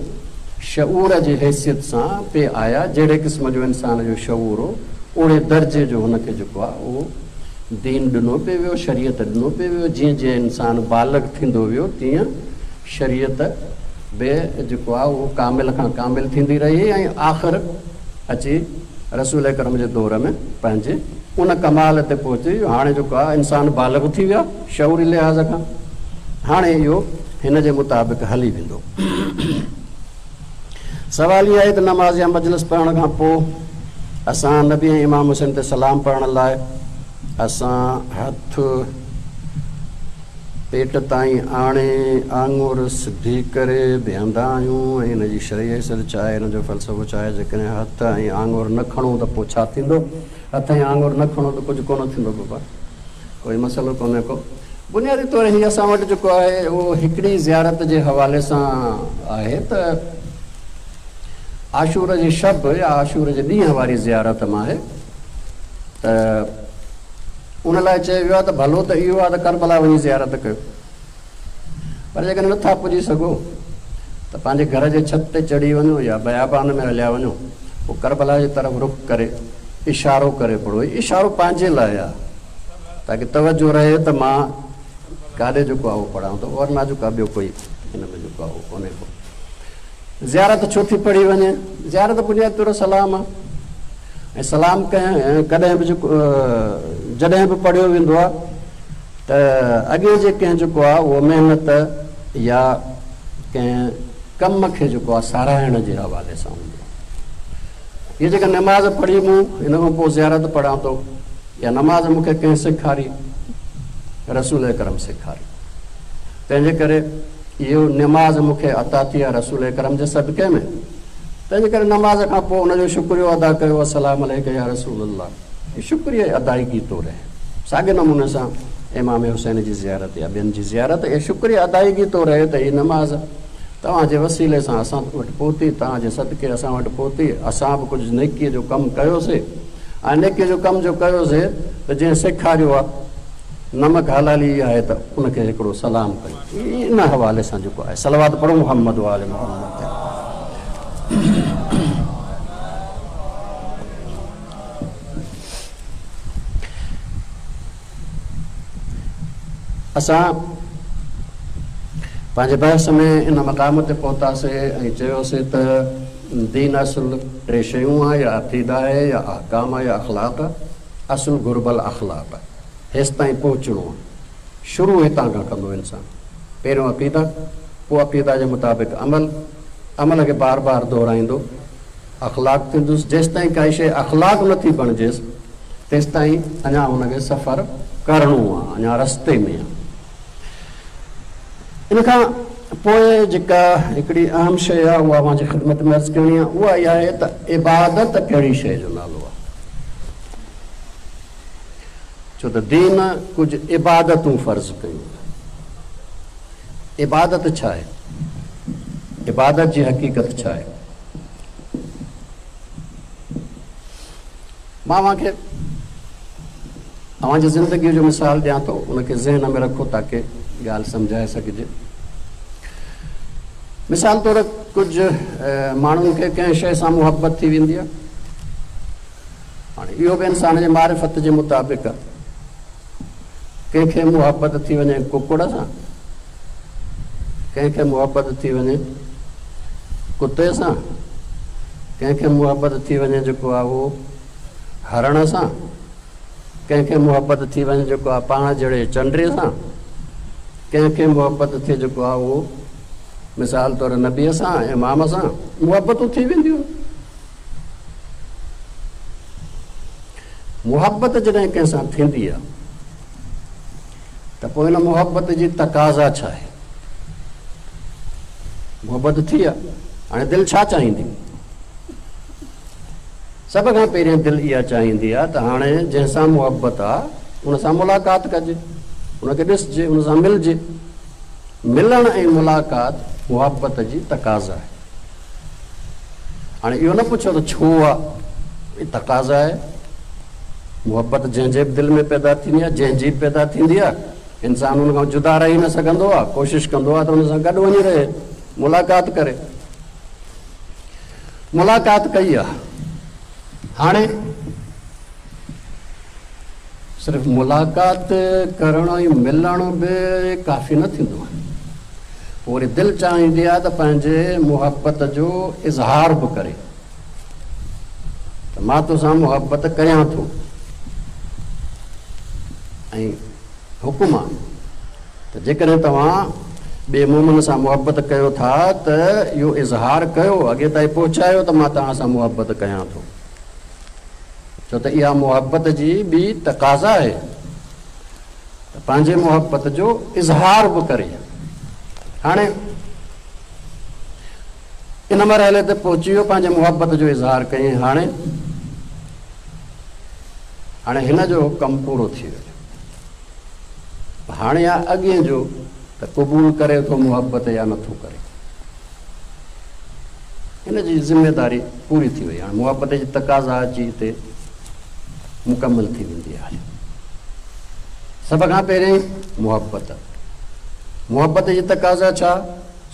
شعور جي حيثيت سان پئي آيا، جهڙي قسم جو انسان جو شعور هو اوهڙي درجي جو هن کي جيڪو آهي اهو دين ڏنو پئي ويو، شريعت ڏنو پئي ويو، جيئن جيئن انسان بالغ ٿيندو ويو تيئن شريعت به جيڪو آهي اهو ڪامل کان ڪامل ٿيندي رهي ۽ آخر اچي رسول اڪرم جي دور ۾ پنهنجي ان ڪمال تي پهتي جو هاڻي جيڪو آهي انسان بالغ ٿي ويو آهي شعوري لحاظ کان هاڻي اهو هن جي مطابق هلي ويندو. سوال هي آهي ته نماز يا مجلس پڙهڻ کان پوء اسان نبي ۽ امام حسين تي سلام پڙهڻ لاء اسان هٿ پيٽ تائين آڻي آڱر سڌي ڪري بيهندا آهيون ۽ ان جي شرعي حيثيت ڇا آهي، ان جو فلسفو ڇا آهي؟ جيڪڏهن هٿ ۽ آڱر نه کڻون ته پوء ڇا ٿيندو؟ هٿ ۽ آڱر نه کڻو ته ڪجهه ڪونه ٿيندو بابا. ڪوئي مسئلو ڪونهي ڪو. بنيادي طور هي اسان وٽ جيڪو آهي اهو هڪڙي زيارت جي حوالي سان آهي ته عاشور جي شب يا عاشور جي ڏينهن واري زيارت مان آهي ته ان لاء چيو ويو آهي ته ڀلو ته اهو آهي ته ڪربلا وڃي زيارت ڪيو پر جيڪڏهن نٿا پڄي سگهو ته پنهنجي گهر جي ڇت تي چڙهي وڃو يا بيابان ۾ هليا وڃو پوء ڪربلا جي طرف رخ ڪري اشارو ڪري پڙهو. هي اشارو پنهنجي لاء آهي تاڪه توجه رهي ته مان ڪاڏي جيڪو آهي اهو پڙهان ٿو ورنه جيڪو آهي ٻيو ڪوئي هن ۾ جيڪو آهي اهو ڪونهي ڪو. زيارت ڇو ٿي پڙهي وڃي؟ زيارت بنيادي طور سلام آهي ۽ سلام ڪنهن ڪڏهن به جيڪو جڏهن به پڙهيو ويندو آهي ته اڳي جي ڪنهن جيڪو آهي اهو محنت يا ڪنهن ڪم کي جيڪو آهي ساراهڻ جي حوالي سان هوندو آهي. هيء جيڪا نماز پڙهي مون ان کان پوء زيارت پڙهان ٿو اها نماز مون کي ڪنهن سيکاري؟ رسول اڪرم سيکاري. تنهن جي ڪري اهو نماز مون کي عطا ٿي آهي رسول اڪرم جي صدقي ۾. تنهن جي ڪري نماز کان پوء ان جو شڪريو ادا ڪيو السلام عليڪ يا رسول الله. هي شڪريي ادائگي طور آهي. ساڳئي نموني سان امام حسين جي زيارت يا ٻين جي زيارت اها شڪريي ادائگي طور آهي ته هي نماز توهان جي وسيلي سان اسان وٽ پهتي، توهان جي صدقي اسان وٽ پهتي، اسان به ڪجهه نيڪيء جو ڪم ڪيوسي ۽ نيڪيء جو ڪم جو ڪيوسي ته جنهن سيکاريو آهي نمڪ حلالي اها آهي ته ان کي هڪڙو سلام ڪيون. ان حوالي سان جيڪو آهي صلوات پڙهو محمد وآل محمد تي. اسان پنهنجي بحث ۾ ان مقام تي پهتاسي ۽ چيوسي ته دين اصل ٽي شيون آهي يا عقيده آهي يا احڪام آهي يا اخلاق آهي. اصل گهربل اخلاق آهي. هيستائين پهچڻو آهي. شروع هتان کان ڪندو انسان. پهريون عقيده، پوء عقيده جي مطابق عمل، عمل کي بار بار دهرائيندو. اخلاق ٿيندس. جيستائين ڪائي شيء اخلاق نه ٿي بڻجيس، تيستائين اڃا هن کي سفر ڪرڻو آ، اڃا رستي ۾ آ. ان کان پوء جيڪا هڪڙي اهم شيء آ، اها اوهان جي خدمت ۾ عرض ڪرڻي آ، اها اها آهي ته عبادت ڪهڙي شيء جو نالو آ؟ ڇو ته دين ڪجهه عبادتون فرض ڪيون. عبادت ڇا آهي؟ عبادت جي حقيقت ڇا آهي؟ مان اوهان کي اوهان جي زندگيء جو مثال ڏيان ٿو، ان کي ذهن ۾ رکو تاڪه ڳالهه سمجهائي سگهجي. مثال طور ڪجهه ماڻهن کي ڪنهن شيء سان محبت ٿي ويندي آهي. هاڻي اهو به انسان جي معرفت جي مطابق آهي. ڪنهن کي محبت ٿي وڃي ڪڪڙ سان، ڪنهن کي محبت ٿي وڃي ڪتي سان، ڪنهن کي محبت ٿي وڃي جيڪو آهي اهو هرڻ سان، ڪنهن کي محبت ٿي وڃي جيڪو آهي پاڻ جهڙي چنڊي سان، ڪنهن کي محبت ٿئي جيڪو آهي اهو مثال طور نبيء سان، امام سان محبتون ٿي وينديون. محبت جڏهن ڪنهن سان ٿيندي آ ته پوء ان محبت جي تقاضا ڇا آهي؟ محبت ٿي آ، هاڻي دل ڇا چاهيندي؟ سڀ کان پهرين دل اها چاهيندي آ ته هاڻي جنهن سان محبت آ ان سان ملاقات ڪجي، ان کي ڏسجي، ان سان ملجي. ملڻ ۽ ملاقات محبت جي تقاضا آهي. هاڻي اهو نه پڇو ته ڇو آ؟ هي تقاضا آهي. محبت جنهن جي به دل ۾ پيدا ٿيندي آ، جنهن جي به پيدا ٿيندي آ، انسان ان کان جدا رهي نه سگهندو آ، ڪوشش ڪندو آ ته ان سان گڏ وڃي رهي، ملاقات ڪري. ملاقات ڪئي آ، هاڻي صرف ملاقات ڪرڻ ۽ ملڻ به ڪافي نه ٿيندو آهي. پوء وري دل چاهيندي آهي ته پنهنجي محبت جو اظهار به ڪري ته مان توسان محبت ڪريان ٿو ۽ حڪم آهي ته جيڪڏهن توهان ٻئي مومن سان محبت ڪيو ٿا ته اهو اظهار ڪيو، اڳي تائين پهچايو ته مان توهان سان محبت ڪيان ٿو. ڇو ته اها محبت جي ٻي تقاضا آهي ته پنهنجي محبت جو اظهار به ڪري. هاڻي ان مرحلي تي پهچي ويو، پنهنجي محبت جو اظهار ڪيائين، هاڻي هاڻي هن جو ڪم پورو ٿي ويو. هاڻي آ اڳئين جو ته قبول ڪري ٿو محبت يا نٿو ڪري. هن جي ذميداري پوري ٿي وئي. هاڻي محبت جي تقاضا اچي هتي مڪمل ٿي ويندي آهي. سڀ کان پهرين محبت. محبت جي تقاضا ڇا؟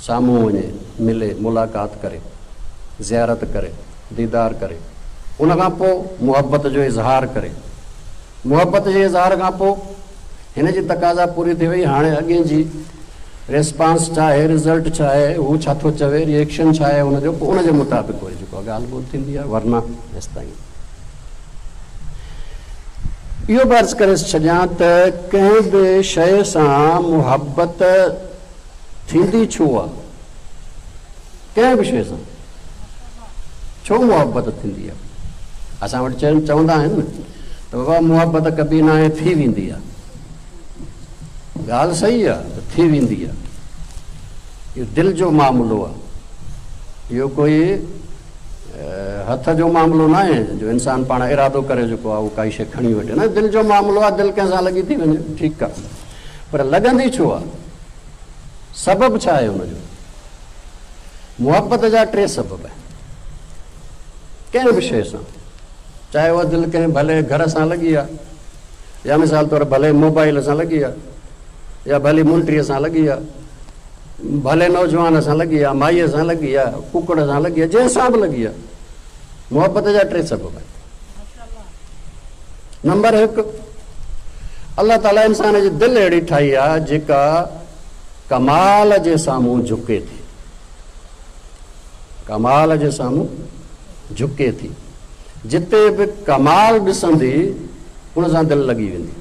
سامهون وڃي، ملي، ملاقات ڪري، زيارت ڪري، ديدار ڪري. ان کان پوء محبت جو اظهار ڪري. محبت جي اظهار کان پوء هن جي تقاضا پوري ٿي وئي، هاڻي اڳئين جي ريسپانس ڇا آهي، رزلٽ ڇا آهي، هو ڇا ٿو چوي، ري ايڪشن ڇا آهي ان جو، پوء ان جي مطابق وري جيڪو آهي ڳالهه ٻولهه ٿيندي آهي، ورنه هيستائين اهو به عرض ڪري ڇڏيان ته ڪنهن به شيء سان محبت ٿيندي ڇو آهي؟ ڪنهن به شيء سان ڇو محبت ٿيندي آهي؟ اسان وٽ چوندا آهن نه ته بابا محبت ڪبي ناهي ٿي ويندي آهي. ڳالهه صحيح آهي ته ٿي ويندي آهي. اهو دل جو معاملو آهي. اهو ڪوئي هٿ جو معاملو ناهي جو انسان پاڻ ارادو ڪري جيڪو آهي اهو ڪائي شيء کڻي وٺي. نه، دل جو معاملو آهي، دل ڪنهن سان لڳي ٿي وڃي، ٺيڪ آهي، پر لڳندي ڇو آهي؟ سبب ڇا آهي ان جو؟ محبت جا ٽي سبب آهن. ڪنهن به شيء سان، چاهي اها دل ڪنهن ڀلي گهر سان لڳي آهي يا مثال طور ڀلي موبائل سان لڳي آهي يا ڀلي منٽريء سان لڳي آهي، ڀلي نوجوان سان لڳي آهي، مائيء سان لڳي آهي، ڪڪڙ سان لڳي آهي، جنهن سان به لڳي آهي، محبت جا ٽي سبب آهن. نمبر هڪ، الله تعاليٰ انسان جي دل اهڙي ٺاهي آهي جيڪا ڪمال جي سامهون جهڪي ٿي. ڪمال جي سامهون جهڪي ٿي. جتي به ڪمال ڏسندي ان سان دل لڳي ويندي.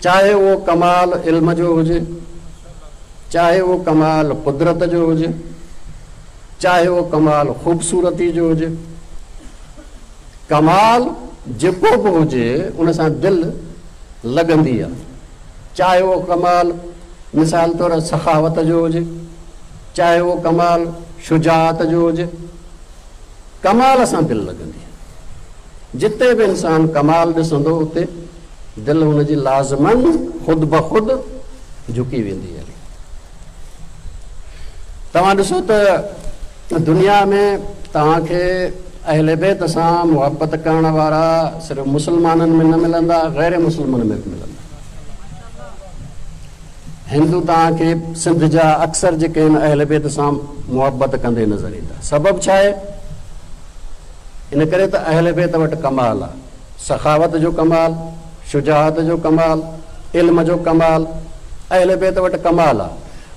چاهي اهو ڪمال علم جو هجي، چاهي اهو ڪمال قدرت جو هجي، چاهي اهو ڪمال خوبصورتي جو هجي، ڪمال جيڪو به هجي ان سان دل لڳندي آهي، چاهي اهو ڪمال مثال طور سخاوت جو هجي، چاهي اهو ڪمال شجاعت جو هجي، ڪمال سان دل لڳندي آهي. جتي به انسان ڪمال ڏسندو اتي دل هن جي لازماً خود بخود جهڪي ويندي هلي. توهان ڏسو ته دنيا ۾ توهان کي اهل بيت سان محبت ڪرڻ وارا صرف مسلمانن ۾ نه ملندا، غير مسلمن ۾ به ملندا. هندو توهان کي سنڌ جا اڪثر جيڪي آهن اهل بيت سان محبت ڪندي نظر ايندا. سبب ڇا آهي؟ ان ڪري ته اهل بيت وٽ ڪمال آهي. سخاوت جو ڪمال، شجاعت جو ڪمال، علم جو ڪمال، اهل بيت وٽ ڪمال آ.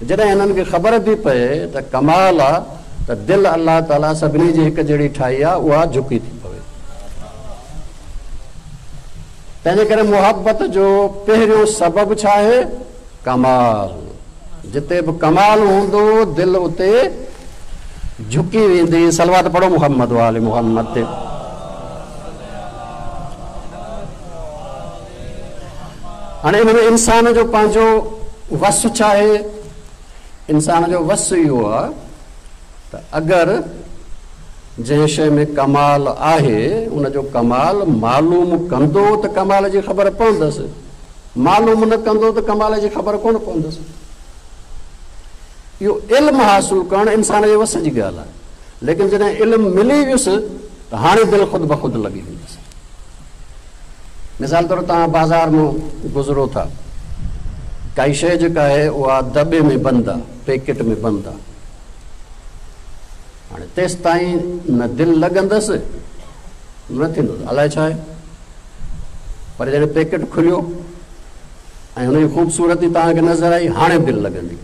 جڏهن هنن کي خبر ٿي پئي ته ڪمال آ ته دل الله تعاليٰ سڀني جي هڪ جهڙي ٺاهي آ اها جهڪي ٿي پوي. تنهنجي ڪري محبت جو پهريون سبب ڇا آهي؟ ڪمال. جتي به ڪمال هوندو دل اتي جهڪي ويندي. صلوات پڙهو محمد وآل محمد تي. هاڻي ان ۾ انسان جو پنهنجو وس ڇا آهي؟ انسان جو وس اهو آهي ته اگر جنهن شيء ۾ ڪمال آهي ان جو ڪمال معلوم ڪندو ته ڪمال جي خبر پوندس. معلوم نه ڪندو ته ڪمال جي خبر ڪونه پوندس. اهو علم حاصل ڪرڻ انسان جي وس جي ڳالهه آهي، ليڪن جڏهن علم ملي ويس ته هاڻي دل خود بخود لڳي ويندس. مثال طور توهان بازار مان گذرو ٿا، ڪائي شيء جيڪا آهي اها دٻي ۾ بند آهي، پيڪيٽ ۾ بند آهي، هاڻي تيستائين نه دل لڳندس نه ٿيندس، الائي ڇا آهي. پر جڏهن پيڪيٽ کليو ۽ هن جي خوبصورتي توهان کي نظر آئي، هاڻي دل لڳندي.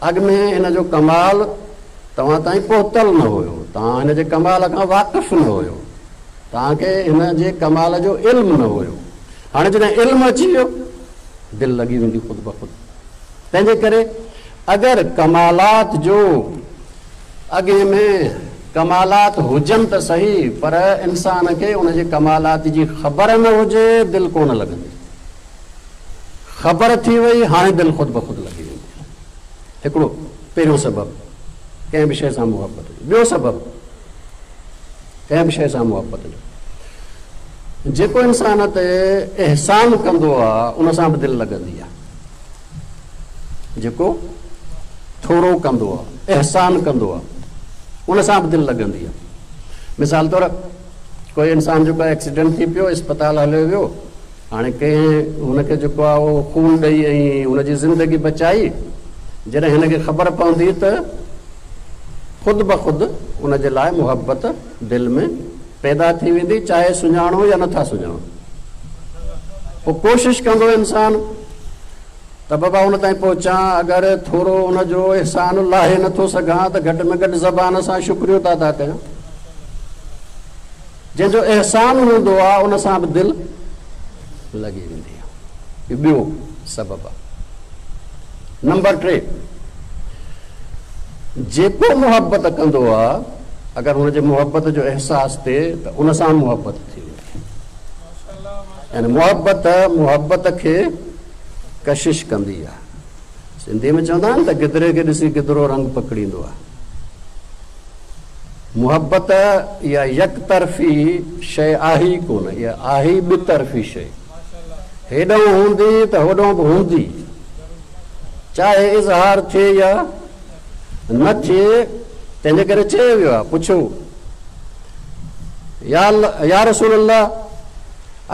اڳ ۾ هن جو ڪمال توهان تائين پهتل نه هيو، توهان هن جي ڪمال کان واقف نه هيو، توهان کي هن جي ڪمال جو علم نه هيو. هاڻي جڏهن علم اچي ويو، دل لڳي ويندي خود بخود. تنهن جي ڪري اگر ڪمالات جو اڳئين ۾ ڪمالات هجن ته سهي پر انسان کي ان جي ڪمالات جي خبر نه هجي دل ڪونه لڳندي. خبر ٿي وئي هاڻي دل خود بخود لڳي ويندي. هڪڙو پهريون سبب ڪنهن به شيء سان محبت جو. ٻيو سبب ڪنهن به شيء سان محبت جو جيڪو انسان تي احسان ڪندو آ ان سان به دل لڳندي آ. جيڪو ٿورو ڪندو آ، احسان ڪندو آ، ان سان به دل لڳندي آ. مثال طور ڪوئي انسان جيڪو ايڪسيڊنٽ ٿي پيو، اسپتال هليو ويو، هاڻي ڪنهن هن کي جيڪو آ اهو خون ڏئي ۽ هن جي زندگي بچائي، جڏهن هن کي خبر پوندي ته خود بخود ان جي لاء محبت دل ۾ پيدا ٿي ويندي، چاهي سڃاڻو يا نٿا سڃاڻو. پوء ڪوشش ڪندو انسان ته بابا ان تائين پهچان، اگر ٿورو ان جو احسان لاهي نٿو سگهان ته گهٽ ۾ گهٽ زبان سان شڪريو ته ادا ڪيان. جنهن جو احسان هوندو آهي ان سان به دل لڳي ويندي آهي. اهو ٻيو سبب آهي. نمبر 3، جيڪو محبت ڪندو آهي اگر هن جي محبت جو احساس ٿئي ته ان سان محبت ٿي ويندي آهي. يعني محبت محبت کي ڪشش ڪندي آهي. سنڌيء ۾ چوندا آهن ته گدري کي ڏسي گدرو رنگ پڪڙيندو آهي. محبت اها يڪ طرفي شيء آهي ئي ڪونه، اها آهي ئي ٻه طرفي شيء. هيڏانهن هوندي ته هوڏانهن به هوندي، چاهي اظهار ٿئي يا نه ٿئي. تنهن جي ڪري چيو ويو آهي، پڇيو يا رسول الله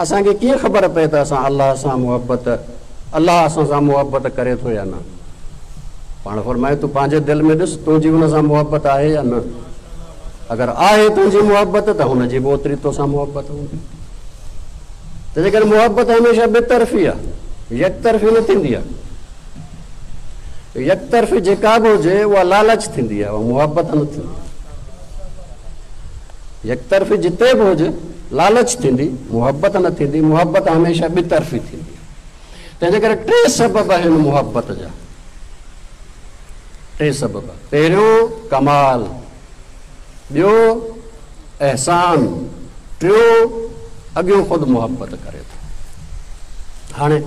اسان کي ڪيئن خبر پئي ته اسان الله سان محبت، الله اسان سان محبت ڪري ٿو يا نه؟ پاڻ فرمايو تون پنهنجي دل ۾ ڏس تنهنجي ان سان محبت آهي يا نه؟ اگر آهي تنهنجي محبت ته هن جي به اوتري توسان محبت هوندي. تنهنجي ڪري محبت هميشه ٻه طرفي آهي، يڪ طرفي نه ٿيندي آهي. يڪ طرفي جيڪا به هجي اها لالچ ٿيندي آهي، اها محبت نه ٿيندي آهي. يڪ طرفي جتي به هجي لالچ ٿيندي، محبت نه ٿيندي. محبت هميشه ٻه طرفي ٿيندي آهي. تنهنجي ڪري ٽي سبب آهن محبت جا. ٽي سبب، پهريون ڪمال، ٻيو احسان، ٽيون اڳيون خود محبت ڪري ٿو. هاڻي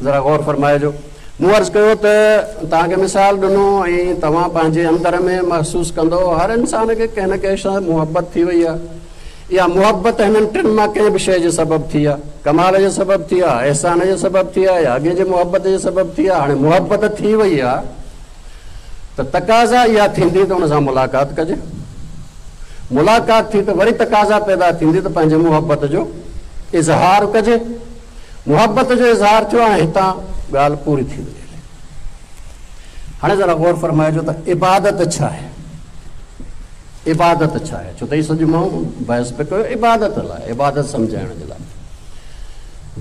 ذرا غور فرمائجو. مون عرض ڪيو ته توهان کي مثال ڏنو ۽ توهان پنهنجي اندر ۾ محسوس ڪندؤ هر انسان کي ڪنهن نه ڪنهن سان محبت ٿي وئي آهي. اها محبت هنن ٽن مان ڪنهن به شيء جي سبب ٿي آهي. ڪمال جي سبب ٿي آهي، احسان جي سبب ٿي آهي يا اڳئين جي محبت جي سبب ٿي آهي. هاڻي محبت ٿي وئي آهي ته تقاضا اها ٿيندي ته ان سان ملاقات ڪجي. ملاقات ٿي ته وري تقاضا پيدا ٿيندي ته پنهنجي محبت جو اظهار ڪجي. محبت جو اظهار ٿيو هاڻي هتان ڳالهه پوري ٿي وڃي. هاڻي ذرا غور فرمائجو ته عبادت ڇا آهي؟ عبادت ڇا آهي؟ ڇو ته هي سڄو مون بحث پئي ڪيو عبادت لاء، عبادت سمجهائڻ جي لاء.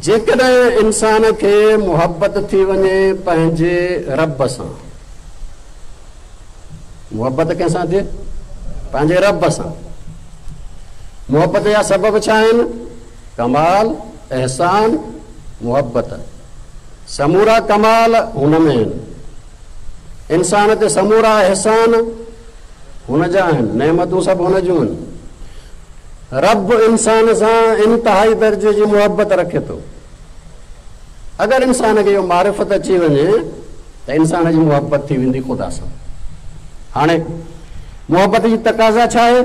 جيڪڏهن انسان کي محبت ٿي وڃي پنهنجي رب سان، محبت ڪنهن سان ٿئي؟ پنهنجي رب سان. محبت جا سبب ڇا آهن؟ ڪمال، احسان، محبت. سمورا ڪمال هن ۾ آهن. انسان تي سمورا احسان هن جا آهن، نعمتون سڀ هن جون آهن. رب انسان سان انتهائي درجي جي محبت رکي ٿو. اگر انسان کي اهو معرفت اچي وڃي ته انسان جي محبت ٿي ويندي خدا سان. هاڻي محبت جي تقاضا ڇا آهي؟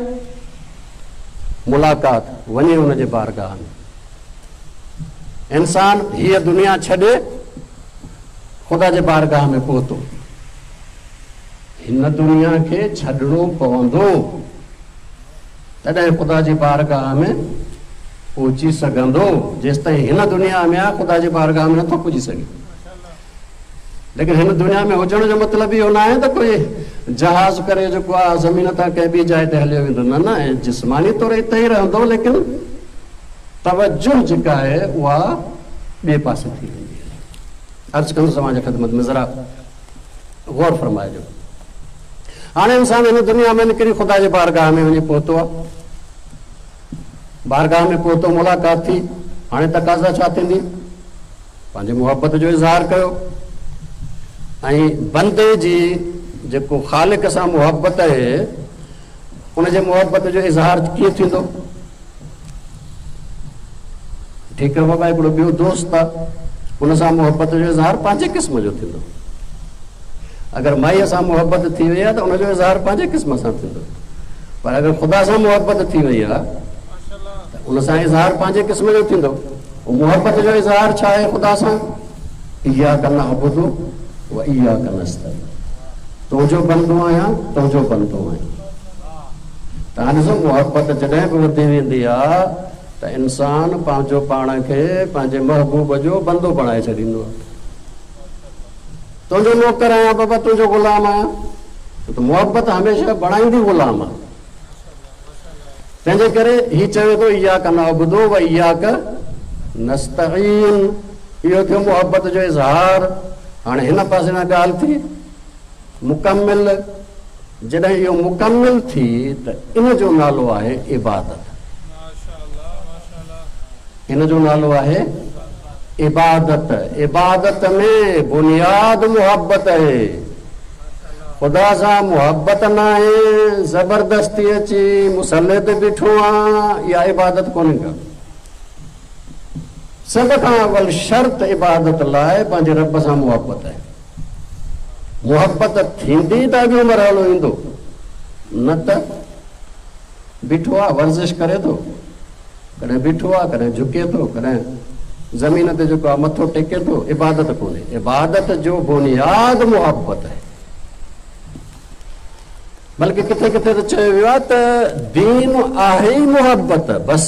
ملاقات، وڃي ان جي بارگاهه ۾. انسان هيء دنيا ڇڏي خدا جي بارگاهه ۾ پهتو. هن دنيا کي ڇڏڻو پوندو، تڏهن خدا جي بارگاهه ۾ پهچي سگهندو. جيستائين هن دنيا ۾ آهي، خدا جي بارگاهه ۾ نٿو پڄي سگهي. ليڪن هن دنيا ۾ هجڻ جو مطلب اهو ناهي ته ڪوئي جهاز ڪري جيڪو آهي زمين تان ڪنهن ٻي جاء تي هليو ويندو. نه نه، جسماني طور اتي ئي رهندو، ليڪن توجه جيڪا آهي اها ٻئي پاسي ٿي ويندي. عرض ڪندس اوهان جي خدمت ۾ ذرا غور فرمائجو. هاڻي انسان هن دنيا ۾ نڪري خدا جي بارگاهه ۾ وڃي پهتو آهي. بارگاهه ۾ پهتو، ملاقات ٿي. هاڻي تقاضا ڇا ٿيندي؟ پنهنجي محبت جو اظهار ڪيو ۽ بندي جي جيڪو خالق سان محبت آهي ان جي محبت جو اظهار ڪيئن ٿيندو؟ ٺيڪ آهي بابا هڪڙو ٻيو دوست آهي ان سان محبت جو اظهار پنهنجي قسم جو ٿيندو. اگر مائيء سان محبت ٿي وئي آهي ته ان جو اظهار پنهنجي قسم سان ٿيندو، پر اگر خدا سان محبت ٿي وئي آهي ته ان سان اظهار پنهنجي قسم جو ٿيندو. محبت جو اظهار ڇا آهي خدا سان؟ اياڪ نعبد و اياڪ نستعين، تنهنجو بندو آهيان، تنهنجو بندو آهيان. توهان ڏسو محبت جڏهن به وڌي ويندي آهي ته انسان پنهنجو پاڻ کي پنهنجي محبوب جو بندو بڻائي ڇڏيندو آهي. تنهنجو نوڪر آهيان بابا، تنهنجو غلام آهيان. ڇو ته محبت هميشه بڻائيندي غلام آهي. تنهنجي ڪري هي چوي ٿو اياڪ نعبد و اياڪ نستعين. اهو ٿيو محبت جو اظهار. هاڻي هن پاسي کان ڳالهه ٿي مڪمل. جڏهن اهو مڪمل ٿي ته ان جو نالو آهي عبادت. ان جو نالو آهي عبادت. عبادت ۾ بنياد محبت آهي. خدا سان محبت ناهي، زبردستي اچي مصلي تي بيٺو آن، اها عبادت ڪونهي ڪا. سڀ کان اول شرط عبادت لاء پنهنجي رب سان محبت آهي. محبت ٿيندي ته اڳيون مرحلو ايندو، نه ته بيٺو آ ورزش ڪري ٿو، ڪڏهن بيٺو آ، ڪڏهن جهڪي ٿو، ڪڏهن زمين تي جيڪو آ مٿو ٽيڪي ٿو، عبادت ڪونهي. عبادت جو بنياد محبت آهي. بلڪه ڪٿي ڪٿي ته چيو ويو آهي ته دين آهي ئي محبت بس.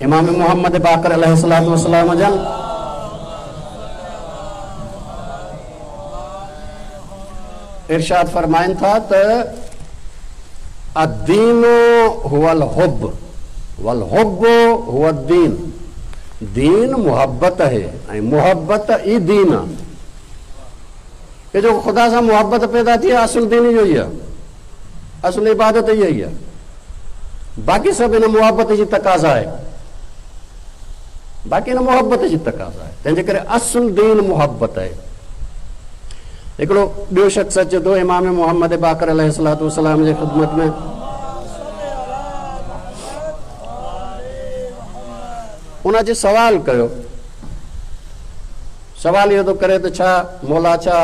امام محمد باقر عليه الصلوة والسلام جن ارشاد فرمائن ٿا ته الدين هو الحب والحب هو الدين، دين محبت آهي ۽ محبت ئي دين آهي. هي جيڪو خدا سان محبت پيدا ٿي آهي اصل دين اهو ئي آهي، اصل عبادت اها ئي آهي، باقي سڀ ان محبت جي تقاضا آهي، باقي ان محبت جي تقاضا آهي. تنهن جي ڪري اصل دين محبت آهي. هڪڙو ٻيو شخص اچي ٿو امام محمد باقر عليه الصلوة والسلام جي خدمت ۾. ان اچي سوال ڪيو. سوال اهو ٿو ڪري ته ڇا مولا ڇا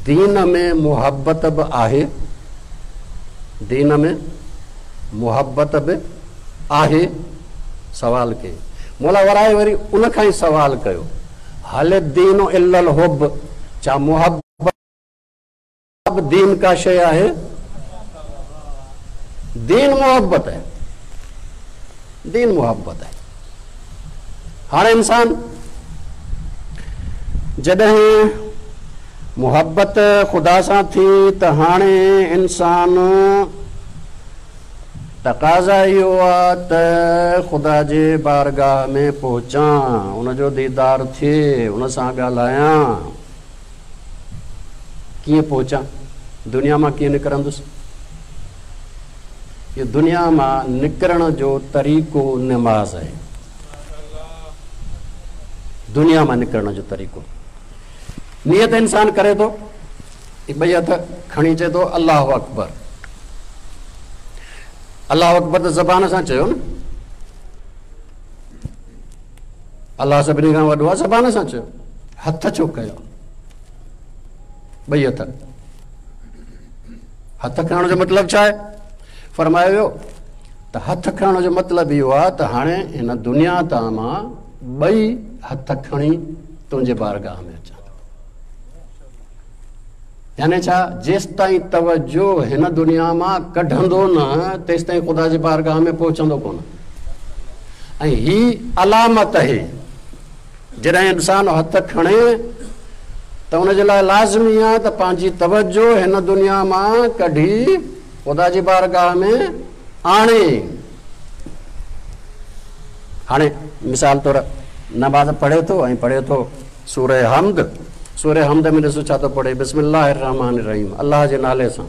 دين ۾ محبت به آهي؟ دين ۾ محبت به آهي؟ سوال ڪيائين. مولا ورائي وري ان کان ئي سوال ڪيو. هل الدين الا الحب ڇا محبت به دين ڪا شيء آهي؟ دين محبت آهي. دين محبت آهي. هاڻي انسان جڏهن محبت خدا سان ٿي ته هاڻي انسان تقاضا اهو آ ته خدا جي بارگاهه ۾ پهچان، ان جو ديدار ٿئي، ان سان ڳالهايان. ڪيئن پهچان؟ دنيا مان ڪيئن نڪرندس؟ اهو دنيا مان نڪرڻ جو طريقو نماز آهي. دنيا مان نڪرڻ جو طريقو نيت انسان ڪري ٿو. هي ٻئي هٿ کڻي چئي ٿو الله اڪبر. الله اڪبر ته زبان سان چيو نه. الله سڀني کان وڏو آهي زبان سان چيو. هٿ ڇو ڪيو؟ ٻئي هٿ. هٿ کڻڻ جو مطلب ڇا آهي؟ فرمايو ويو ته هٿ کڻڻ جو مطلب اهو آهي ته هاڻي هن دنيا تان مان ٻئي هٿ کڻي تنهنجي بارگاهه ۾ اچان ٿو. يعني ڇا جيستائين توجه هن دنيا مان ڪڍندو نه تيستائين خدا جي بارگاهه ۾ پهچندو ڪونه. ۽ هي علامت آهي جڏهن انسان هٿ کڻي ته ان جي لاء لازمي آهي ته پنهنجي توجه هن دنيا مان ڪڍي خدا جي بارگاهه ۾ آڻي. هاڻي مثال طور نماز پڙهي ٿو ۽ پڙهي ٿو سوره حمد، سوره حمد ۾ ڏسو ڇا ٿو پڙهي، بسم الله الرحمٰن الرحيم، الله جي نالي سان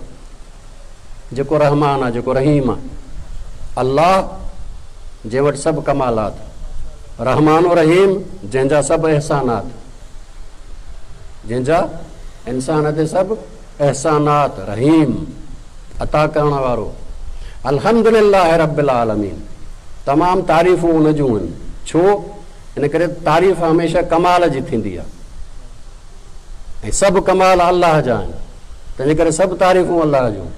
جيڪو رحمان آهي جيڪو رحيم آهي، الله جنهن وٽ سڀ ڪمالات، رحمان و رحيم جنهن جا سڀ احسانات، جنهن جا انسان تي سڀ احسانات، رحيم عطا ڪرڻ وارو، الحمدلله رب العالمين تمام تعريفون ان جون آهن، ڇو؟ ان ڪري ته تعريف هميشه ڪمال جي ٿيندي آهي ۽ سڀ ڪمال الله جا آهن، تنهنجي ڪري سڀ تعريفون الله جون.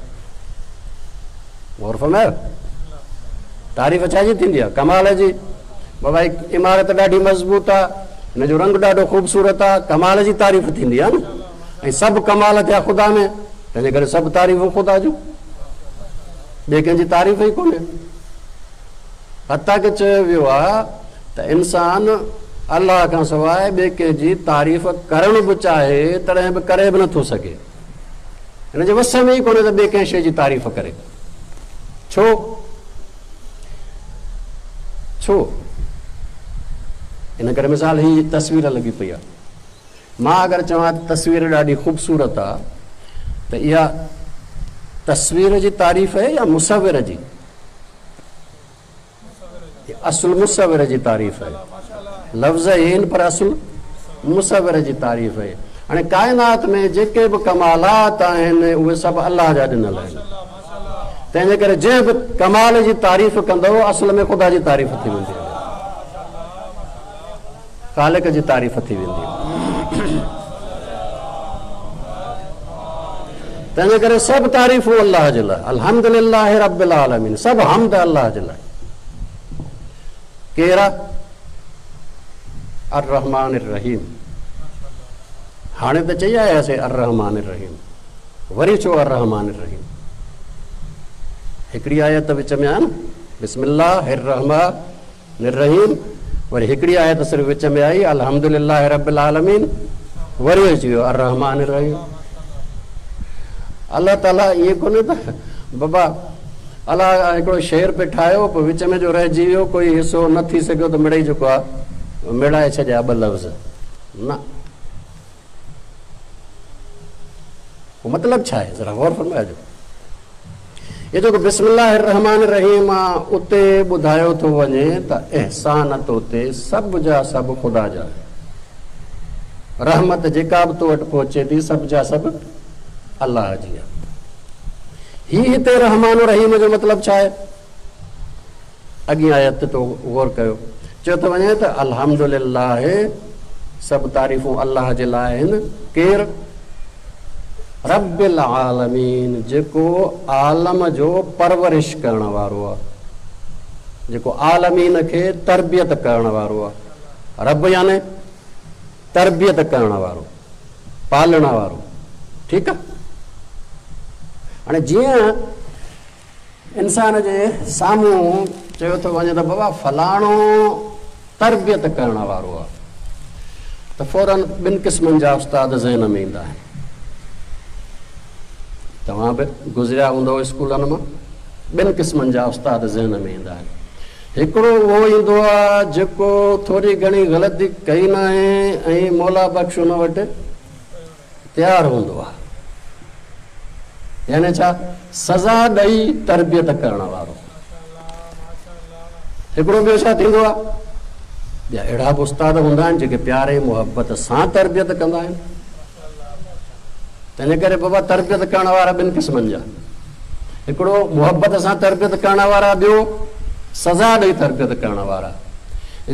غور فرمايو، تعريف ڇا جي ٿيندي آهي؟ ڪمال جي. بابا هي عمارت ڏاڍي مضبوط آهي، هن جو رنگ ڏاڍو خوبصورت آهي، ڪمال جي تعريف ٿيندي آهي نه. ۽ سڀ ڪمال ٿيا خدا ۾، تنهنجي ڪري سڀ تعريفون خدا جون، ٻئي ڪنهن جي تعريف ئي ڪونهي. حتيٰ ڪه چيو ويو آهي ته انسان الله کان سواء ٻئي ڪنهن جي تعريف ڪرڻ به چاهي تڏهن به ڪري به نٿو سگهي. هن جي وس ۾ ئي ڪونهي ته ٻئي ڪنهن شيء جي تعريف ڪري. ڇو؟ ڇو؟ ان ڪري مثال هي تصوير لڳي پئي آهي. مان اگر چوان ته تصوير ڏاڍي خوبصورت آ ته اها تصوير جي تعريف آهي يا مصور جي؟ اصل مصور جي تعريف آهي. لفظ آهن پر اصل مصور جي تعريف آهي. هاڻي ڪائنات ۾ جيڪي به ڪمالات آهن اهي سڀ الله جا ڏنل آهن. تنهن جي ڪري جنهن به ڪمال جي تعريف ڪندو اصل ۾ خدا جي تعريف ٿي ويندي. خالق جي تعريف ٿي ويندي. تنهنجي ڪري سڀ تعريفون الله جي لاء. الحمد لله رب العالمين، سڀ حمد الله جي لاء. ڪير آ؟ الرحمٰن الرحيم. هاڻي ته چئي آياسين الرحمٰن الرحيم، وري ڇو الرحمٰن الرحيم؟ هڪڙي آيت وچ ۾ آ نه، بسم الله الرحمٰن الرحيم، وري هڪڙي آيت صرف وچ ۾ آئي الحمد لله رب العالمين، وري اچي ويو الرحمٰن الرحيم. الله تعالي ائين ڪونهي ته بابا الله هڪڙو شعر پئي ٺاهيو پوء وچ ۾ جو رهجي ويو ڪوئي حصو نه ٿي سگهيو ته مڙئي جيڪو آهي مڙائي ڇڏيا ٻه لفظ، نه. پوء مطلب ڇا آهي؟ ذرا غور فرمائجو. هي جيڪو بسم الله الرحمٰن الرحيم آ اتي ٻڌايو ٿو وڃي ته احسان تو تي سڀ جا سڀ خدا جا آهن. رحمت جيڪا به تو وٽ پهچي ٿي سڀ جا سڀ الله جي آهي. هي هتي رحمان رحيم جو مطلب ڇا آهي؟ اڳين آيت تي تو غور ڪيو. چيو ٿو وڃي ته الحمد لله سڀ تعريفون الله جي لاء آهن. ڪير؟ رب العالمين جيڪو عالم جو پرورش ڪرڻ وارو آهي. جيڪو عالمين کي تربيت ڪرڻ وارو آهي. رب يعني تربيت ڪرڻ وارو، پالڻ وارو. ٺيڪ آهي. هاڻي جيئن انسان جي سامهون چيو ٿو وڃي ته بابا فلاڻو تربيت ڪرڻ وارو آهي ته فورن ٻن قسمن جا استاد ذهن ۾ ايندا آهن. توهان به گذريا هوندؤ اسڪولن مان، ٻن قسمن جا استاد ذهن ۾ ايندا آهن. هڪڙو اهو ايندو آهي جيڪو ٿوري گهڻي غلطي ڪئي ناهي ۽ مولا بخش ان وٽ تيار هوندو آهي. يعني ڇا؟ سزا ڏئي تربيت ڪرڻ وارو. هڪڙو ٻيو ڇا ٿيندو آهي؟ ٻيا اهڙا به استاد هوندا آهن جيڪي پيار ۽ محبت سان تربيت ڪندا آهن. تنهن ڪري بابا تربيت ڪرڻ وارا ٻن قسمن جا، هڪڙو محبت سان تربيت ڪرڻ وارا، ٻيو سزا ڏئي تربيت ڪرڻ وارا.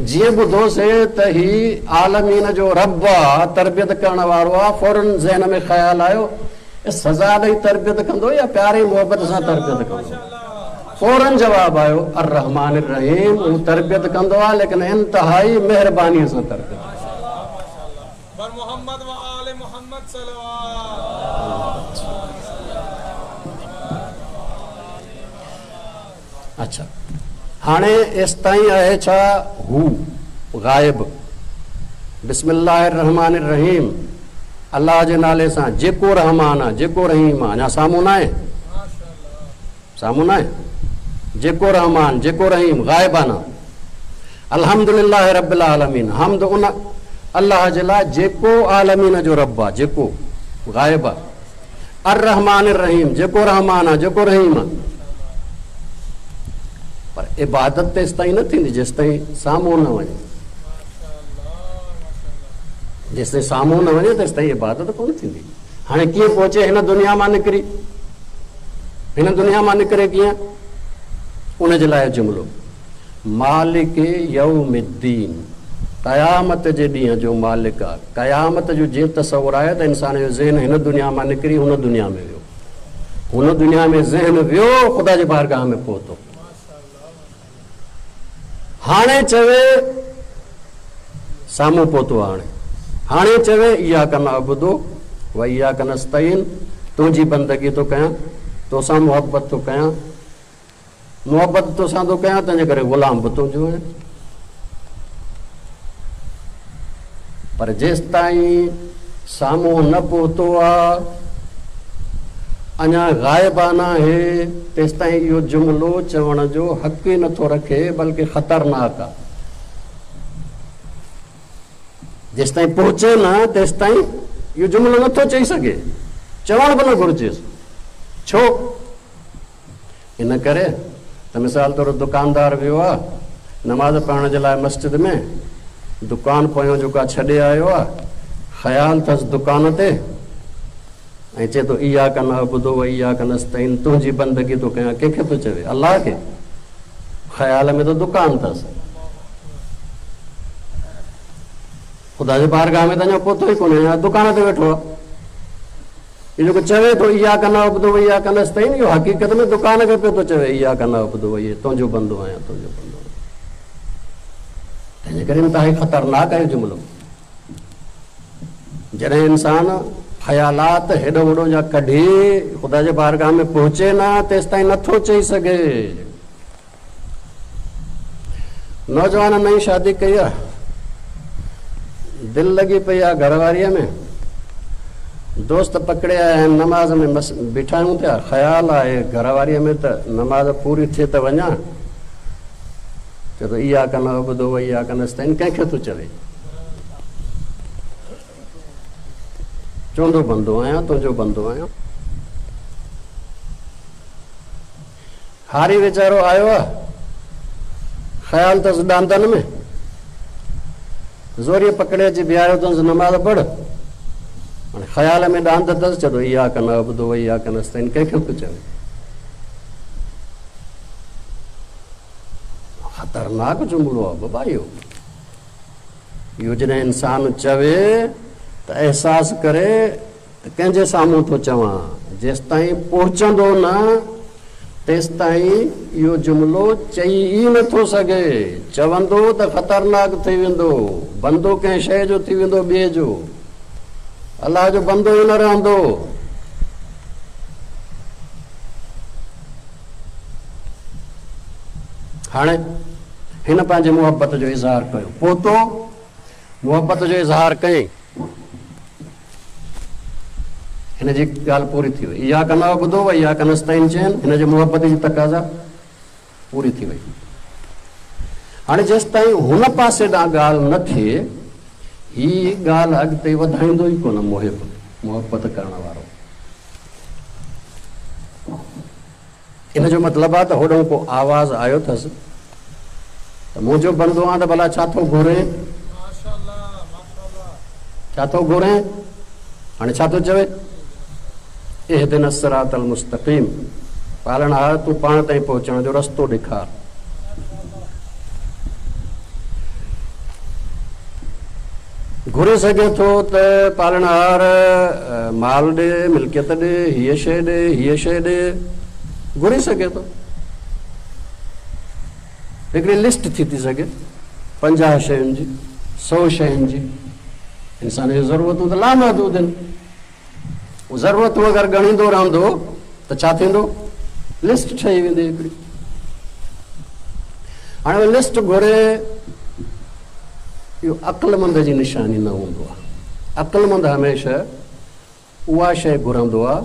جيئن ٻڌوسي ته هي عالمين جو رب آ، تربيت ڪرڻ وارو آ، فورن ذهن ۾ خيال آيو سزا ڏئي تربيت ڪندو يا پيار ۽ محبت سان تربيت ڪندو؟ فورن جواب آيو الرحمٰن الرحيم، هو تربيت ڪندو آ ليڪن انتهائي مهربانيء سان تربيت ڪندو آ. اڇا هاڻي ايستائين آهي ڇا هو غائب بسم الله الرحمٰن الرحيم الله جي نالي سان جيڪو رحمان آ جيڪو رحيم آ اڃا سامهون ناهي سامهون ناهي جيڪو رحمان جيڪو رحيم غائبانه الحمد لله رب العالمين حمد ان الله جي لاء جيڪو عالمين جو رب آ جيڪو غائب آ الرحمٰن الرحيم جيڪو رحمان آ جيڪو رحيم آ پر عبادت تيستائين نه ٿيندي جيستائين سامهون نه وڃي جيستائين سامهون نه وڃي تيستائين عبادت ڪونه ٿيندي هاڻي ڪيئن پهچي هن دنيا مان نڪري هن دنيا مان نڪري ڪيئن ان جي لاء جملو مالڪ يوم الدين قيامت جي ڏينهن جو مالڪ آ. قيامت جو جيئن تصور آهي ته انسان جو ذهن هن دنيا مان نڪري هن دنيا ۾ ويو. هن دنيا ۾ ذهن ويو خدا جي بارگاهه ۾ پهتو. هاڻي چوي سامهون پهتو هاڻي. هاڻي چوي اياڪ نعبد و اياڪ نستعين تنهنجي بندگي ٿو ڪيان، توسان محبت ٿو ڪيان. محبت توسان ٿو ڪيان تنهنجي ڪري غلام به تنهنجو آهيان. پر جيستائين سامهون نه پهتو آ، اڃا غائبانه آهي، تيستائين اهو جملو چوڻ جو حق ئي نٿو رکي بلڪه خطرناڪ آ. جيستائين پهچي نه تيستائين اهو جملو نٿو چئي سگهي، چوڻ به نه گهرجيس. ڇو؟ ان ڪري ته مثال طور دڪاندار ويو آ نماز پڙهڻ جي لاء مسجد ۾ دڪان پويان جيڪو آ ڇڏي آيو آ خيال ٿس دڪان تي ۽ چئي ٿو اياڪ نعبد و اياڪ نستعين تنهنجي بندگي ٿو ڪيان ڪنهن کي ٿو چوي الله کي خيال ۾ ته دڪان ٿس خدا جي بارگاهه ۾ ته اڃا پهتو ئي ڪونهي اڃا دڪان تي ويٺو آ هي جيڪو چوي ٿو اياڪ نعبد و اياڪ نستعين اهو حقيقت ۾ دڪان کي پيو ٿو چوي اياڪ نعبد و اياڪ تنهنجو بندو آهيان تنهنجو بندو آهيان تنهنجي ڪري انتهائي خطرناڪ آهي جملو جڏهن انسان خيالات هيڏو وڏو جا ڪڍي خدا جي بارگاهه ۾ پهچي نه تيستائين نٿو چئي سگهي نوجوان نئين شادي ڪئي آ، دل لڳي پئي آ گهر واريء ۾، دوست پڪڙي آيا آهن، نماز ۾ مس بيٺا آهيون پيا، خيال آهي گهر واريء ۾ ته نماز پوري ٿئي ته وڃان، چئي ٿو اياڪ نعبد و اياڪ نستعين ڪنهن کي ٿو چوي؟ چوندو بندو آهيان تنهنجو بندو آهيان. هاري ويچارو آيو آ، خيال اٿس ڏاندن ۾. زوريء پڪڙي اچي بيهاريو اٿس، نماز پڙهه. هاڻي خيال ۾ ڏاند اٿس، چئي ٿو اياڪ نعبد و اياڪ نستعين ڪنهن کي ٿو چوي؟ خطرناڪ جملو آهي بابا اهو. اهو جڏهن انسان چوي ته احساس ڪري ته ڪنهن جي سامهون ٿو چوان، جيستائين پهچندو نه تيستائين اهو جملو چئي ئي نه ٿو سگهي، چوندو ته خطرناڪ ٿي ويندو، بندو ڪنهن شيء جو ٿي ويندو ٻئي جو، الله جو بندو ئي نه رهندو. هاڻي هن پنهنجي محبت جو اظهار ڪيو، پهتو، محبت جو اظهار ڪيائين. هن جي ڳالهه پوري ٿي وئي. اياڪ نعبد و اياڪ نستعين چين، هن جي محبت جي تقاضا پوري ٿي وئي. هاڻي جيستائين هن پاسي ڏانهن ڳالهه نه ٿئي، هي ڳالهه اڳتي وڌائيندو ئي ڪونه محب، محبت ڪرڻ وارو. ان جو مطلب آ ته هوڏانهن ڪو آواز آيو اٿس ته منهنجو بندو آن ته ڀلا ڇا ٿو گهرين؟ ڇا ٿو گهرين؟ هاڻي ڇا ٿو چوي؟ اهدنا الصراط المستقيم، پالڻهار تون پاڻ تائين پهچڻ جو رستو ڏيکار. گهري سگهي ٿو ته پالڻهار مال ڏي، ملڪيت ڏي، هيء شيء ڏي، هيء شيء ڏي، گهري سگهي ٿو. هڪڙي لسٽ ٿي ٿي سگهي 50 شين جي، 100 شين جي. انسان جون ضرورتون ته لامحدود آهن. ضرورتون اگر ڳڻيندو رهندو ته ڇا ٿيندو؟ لسٽ ٺهي ويندي هڪڙي. هاڻي لسٽ گهري اهو عقلمند جي نشاني نه هوندو آهي. عقلمند هميشه اها شيء گهرندو آهي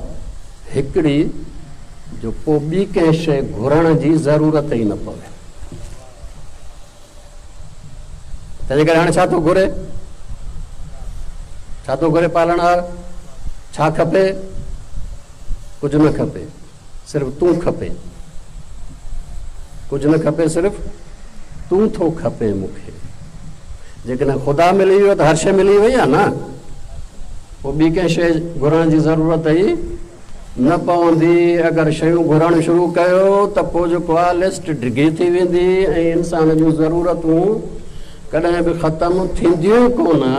هڪڙي جو پوء ٻي ڪنهن شيء گهرڻ جي ضرورت ئي نه پوي. تنهنجي ڪري هاڻي ڇا ٿو گهري؟ ڇا ٿو گهري پالڻهار؟ ڇا کپي؟ ڪجهه نه کپي، صرف تون کپي. ڪجهه نه کپي، صرف تون ٿو کپين مون کي. جيڪڏهن خدا ملي ويو ته هر شيء ملي وئي آهي نه، پوء ٻي ڪنهن شيء گهرڻ جي ضرورت ئي نه پوندي. اگر شيون گهرڻ شروع ڪيو ته پوء جيڪو آهي لسٽ ڊگهي ٿي ويندي ۽ انسان جون ضرورتون ڪڏهن به ختم ٿينديون ئي ڪونه.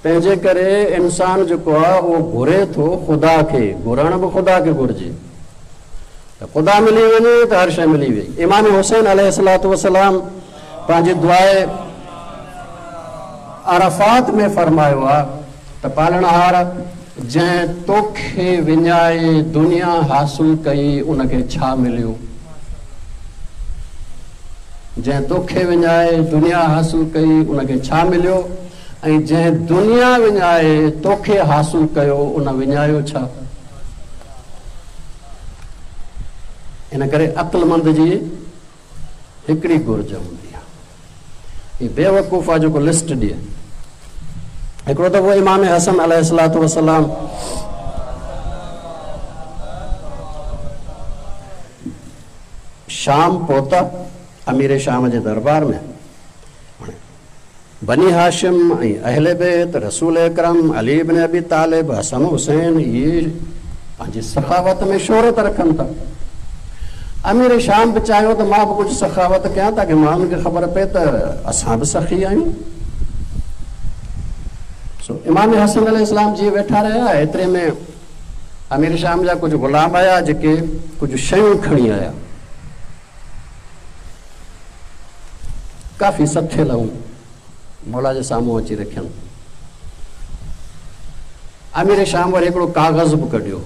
تنهن جي ڪري انسان جيڪو آهي اهو گهري ٿو خدا کي، گهرڻ به خدا کي گهرجي ته خدا ملي وڃي ته هر شيء ملي وئي. امام حسين عليه الصلوة والسلام پنهنجي دعاء عرفات ۾ فرمايو آهي ته پالڻهار جنهن توکي وڃائي دنيا حاصل ڪئي ان کي ڇا مليو؟ جنهن توکي وڃائي دنيا حاصل ڪئي ان کي ڇا مليو؟ ۽ جنهن دنيا وڃائي توکي حاصل ڪيو ان وڃايو ڇا؟ ان ڪري عقلمند جي هڪڙي گهرج هوندي آهي. هي بيوقوف آهي جيڪو لسٽ ڏئي. هڪڙو دفعو امام حسن عليه الصلوة والسلام شام پهتا، امير شام جي دربار ۾. بني هاشم ۽ اهل بيت رسول اڪرم، علي بن ابي طالب، حسن حسين اهي پنهنجي سخاوت ۾ شهرت رکن ٿا. امير شام به چاهيو ته مان به ڪجهه سخاوت ڪيان تاڪه ماڻهن کي خبر پئي ته اسان به سخي آهيون. سو امام حسن عليه السلام جيئن ويٺا رهيا ايتري ۾ امير شام جا ڪجهه غلام آيا جيڪي ڪجهه شيون کڻي آيا. ڪافي سٿيل هيون، مولا جي سامهون اچي رکين. امير شام وري هڪڙو ڪاغذ به ڪڍيو،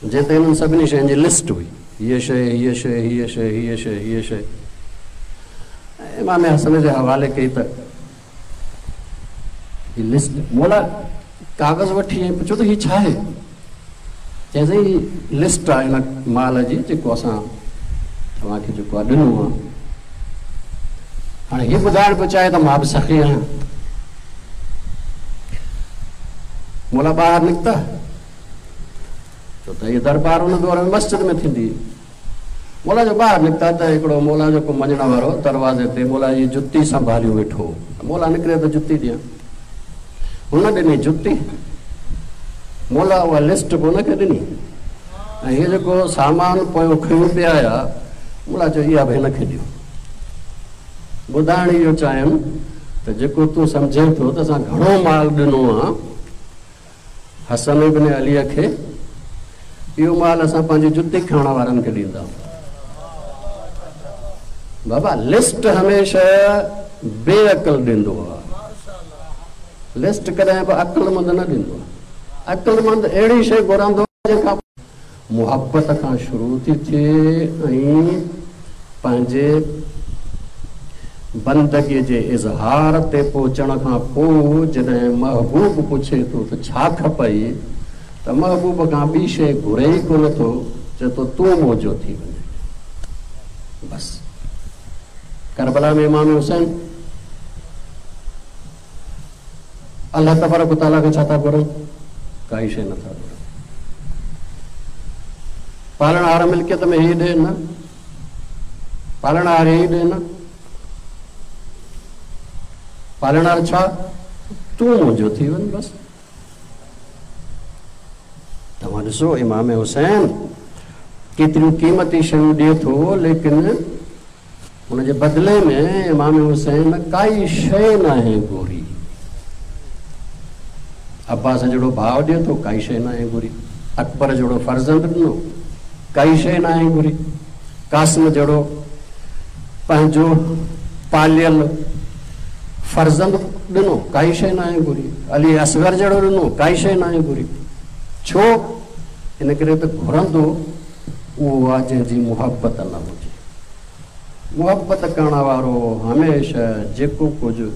جنهن تي انهن سڀني شين جي لسٽ هئي، هيء شيء، هيء شيء، هيء شيء، هيء شيء، هيء شيء. امام حسن جي حوالي ڪئي ته هي لسٽ. مولا ڪاغذ وٺي ۽ پڇيو ته هي ڇا آهي؟ چيائين سائين هي لسٽ آهي ان مال جي جيڪو اسان توهان کي جيڪو آهي ڏنو آهي. هاڻي هي ٻڌائڻ پيو چاهي ته مان به سخي آهيان. مولا ٻاهر نڪتا، ڇو ته هي دربار ان دور ۾ مسجد ۾ ٿيندي هئي. مولا جو ٻاهر نڪتا ته هڪڙو مولا جو ڪو مڃڻ وارو دروازي تي مولا جي جتي سنڀاليون ويٺو هو. مولا نڪري ته جتي ڏيان. هن ڏني جتي. مولا اها لسٽ به هن کي ڏني ۽ هي جيڪو سامان پويون کنيون پئي آيا، مولا چيو اها به هن کي ڏيو. ٻڌائڻ اهو چاهيم ته جيڪو تون سمجهين ٿو ته اسان گهڻو مال ڏنو آ، حسن ابن عليء کي اهو مال اسان پنهنجي جتي کڻڻ وارن کي ڏيندا. بابا لسٽ هميشه بي عقل ڏيندو آ. لسٽ ڪڏهن به عقلمند نه ڏيندو آ. عقلمند اهڙي شيء گهرندو آ جنهن کان محبت کان شروع ٿي ٿئي ۽ پنهنجي بندگيء جي اظهار تي پهچڻ کان پوء جڏهن محبوب پڇي ٿو ته ڇا کپئي ته محبوب کان ٻي شيء گهري ئي ڪونه ٿو، چئي ٿو تون منهنجو ٿي وڃ. بس. ڪربلا ۾ امام حسين الله تبارڪ و تعاليٰ کان ڇا ٿا گهرن؟ ڪائي شيء نه ٿا گهرن. پالڻهار ملڪيت ۾ هي ڏي نه، پالڻهار هي ڏي نه، پالڻهار ڇا؟ تون منهنجو ٿي وڃ بس. توهان ڏسو امام حسين ڪيتريون قيمتي شيون ڏئي ٿو ليڪن ان جي بدلي ۾ امام حسين ڪائي شيء ناهي گهري. عباس جهڙو ڀاء ڏئي ٿو، ڪائي شيء ناهي گهري. اڪبر جهڙو فرزند ڏنو، ڪائي شيء ناهي گهري. قاسم جهڙو پنهنجو پاليل فرزند ڏنو، ڪائي شيء ناهي گهري. علي اصغر جهڙو ڏنو، ڪائي شيء ناهي گهري. ڇو؟ ان ڪري ته گهرندو اهو آ جنهن جي محبت نه هجي. محبت ڪرڻ وارو هميشه جيڪو ڪجهه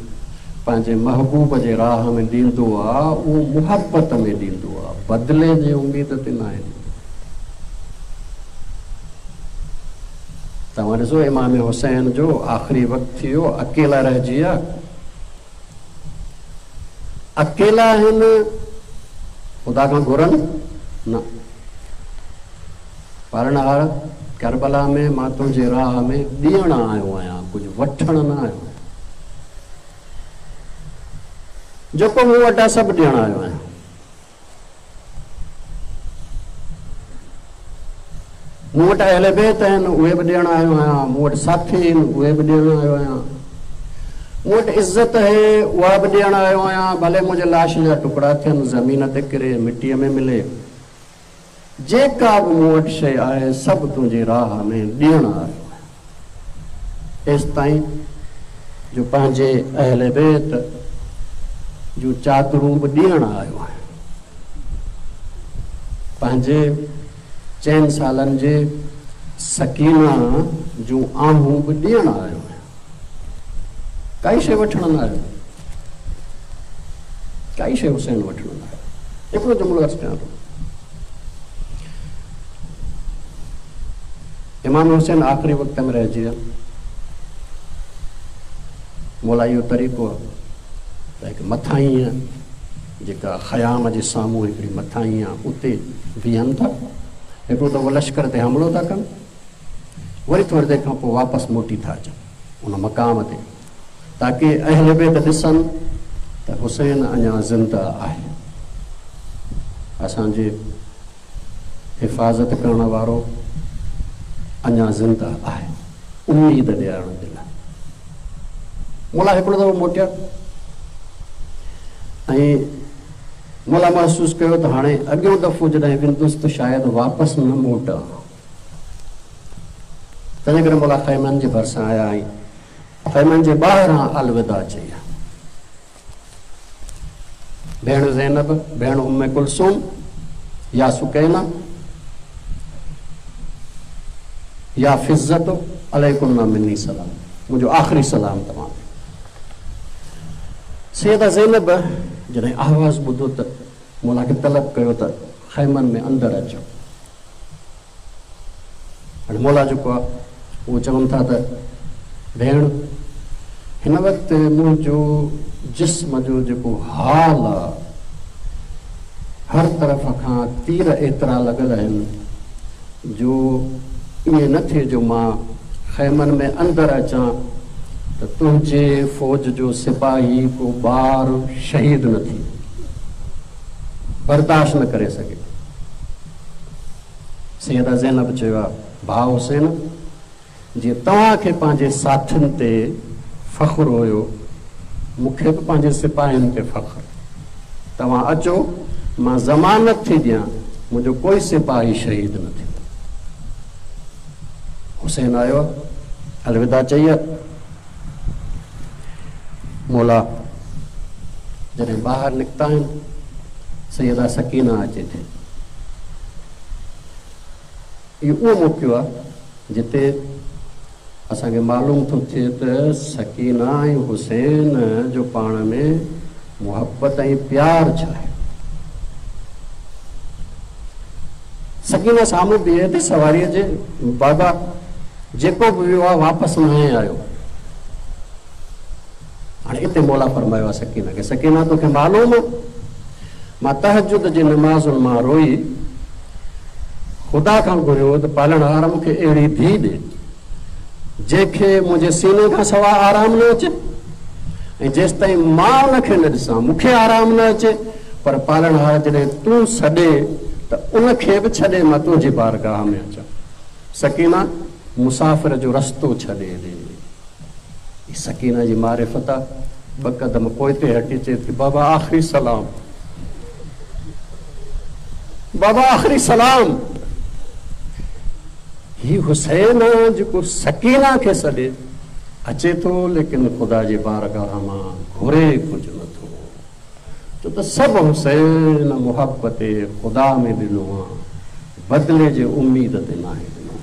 پنهنجي محبوب جي راهه ۾ ڏيندو آ، اهو محبت ۾ ڏيندو آ، بدلي جي اميد تي ناهي ڏيندو. توهان ڏسو امام حسين جو آخري وقت ٿي ويو، اڪيلا رهجي ويا. اڪيلا آهن، خدا کان گهرن نه. پالڻهار! ڪربلا ۾ مان تنهنجي راهه ۾ ڏيڻ آيو آهيان، ڪجهه وٺڻ نه آيو آهيان. جيڪو مون وٽ آهي سڀ ڏيڻ آيو آهيان. مون وٽ اهل بيت آهن، اهي به ڏيڻ آيو آهيان. مون وٽ ساٿي آهن، اهي به ڏيڻ آيو آهيان. مون وٽ عزت آهي، اها به ڏيڻ آيو آهيان. ڀلي منهنجي لاش جا ٽڪڙا ٿين، زمين تي ڪري، مٽيء ۾ ملي. جيڪا به مون وٽ شيء آهي، سڀ تنهنجي راهه ۾ ڏيڻ آيو آهيان. ايستائين جو پنهنجي اهل بيت جون چادرون به ڏيڻ آيو آهيان. پنهنجي چئن سالن جي سڪينه جون آهون به ڏيڻ آيو آهيان. ڪائي شيء وٺڻ نه آيو آهيان. ڪائي شيء حسين وٺڻ نه آيو. هڪڙو جملو عرض ڪيان ٿو. امام حسين آخري وقت ۾ رهجي ويا. مولا اهو طريقو آهي ته هڪ مٿاهينء جيڪا خيام جي سامهون هڪڙي مٿاهين آهي اتي بيهن ٿا. هڪڙو دفعو لشڪر تي حملو ٿا ڪن وري ٿوري دير کان پوء واپس موٽي ٿا اچن ان مقام تي تاڪه اهل بيت ڏسن ته حسين اڃا زنده آهي. اسان جي حفاظت ڪرڻ وارو اڃا زنده آهي. اميد ڏيارڻ جي لاء مولا هڪڙو دفعو موٽيا ۽ مولا محسوس ڪيو ته هاڻي اڳيون دفعو جڏهن ويندس ته شايد واپس نه موٽان. تنهن ڪري مولا خيمن جي ڀرسان آيا ۽ خيمن جي ٻاهران الوداع چئي. ڀيڻ زينب، ڀيڻ ام ڪلثوم يا سڪينه يا فضة عليڪن مني سلام، منهنجو آخري سلام توهان تي. سيده زينب جڏهن آواز ٻڌو ته مولا کي طلب ڪيو ته خيمن ۾ اندر اچو. هاڻي مولا جيڪو آهي اهو چون ٿا ته ڀيڻ هن وقت منهنجو جسم جو جيڪو حال آهي هر طرف کان تير ايترا لڳل آهن جو ائين نه ٿئي جو مان خيمن ۾ اندر اچان ته تنهنجي فوج جو سپاهي ڪو ٻار شهيد نه ٿئي، برداشت نه ڪري سگهي. سيده زينب چيو آ، ڀاء حسين! جيئن توهان کي پنهنجي ساٿين تي فخر هيو، مون کي به پنهنجي سپاهين تي فخر. توهان اچو، مان ضمانت ٿي ڏيان، منهنجو ڪوئي سپاهي شهيد نه ٿيندو. حسين آيو، الوداع چئي، مولا جڏهن ٻاهر نڪتا آهن، سيده سڪينه اچي ٿي. اهو اهو موقعو آهي جتي اسان کي معلوم ٿو ٿئي ته سڪينه ۽ حسين جو پاڻ ۾ محبت ۽ پيار ڇا آهي. سڪينه سامهون بيهي ٿي سواريء جي، بابا جيڪو به ويو آهي واپس ناهي آيو. هاڻي اتي مولا فرمايو آهي سڪينه کي، سڪينه توکي معلوم آهي مان تهجد جي نمازن مان روئي خدا کان گهريو ته پالڻهار مون کي اهڙي ڌيء ڏي جنهن کي منهنجي سيني کان سواء آرام نه اچي ۽ جيستائين مان ان کي نه ڏسان مون کي آرام نه اچي پر پالڻهار جڏهن تون سڏي ته ان کي به ڇڏي مان تنهنجي بارگاهه ۾ اچان. سڪينه مسافر جو رستو ڇڏي ڏي. هي سڪينه جي معرفت آ. ٻه قدم پوئتي هٽي چئي ٿي، بابا آخري سلام. بابا آخري سلام. هي حسين آ جيڪو سڪينه کي سڏي اچي ٿو ليڪن خدا جي بارگاهه مان گهري ڪجهه نه ٿو. ڇو ته سڀ حسين محبت خدا ۾ ڏنو آ، بدلي جي اميد تي ناهي ڏنو.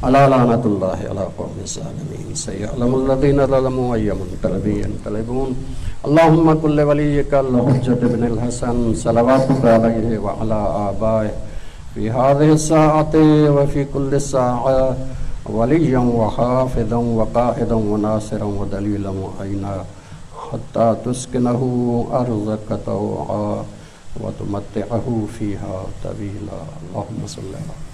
الا لعنة الله علي القوم الظالمين سيعلم الذين ظلموا اي منقلب ينقلبون اللهم کن لوليک الحجة بن الحسن صلواتک عليه وعلي آبائه في هذه الساعة وفي كل ساعة وليا وحافظا وقائدا وناصرا ودليلا وعينا حتي تسڪنه ارضک طوعا وتمتعه فيها طويلا اللهم صل علي.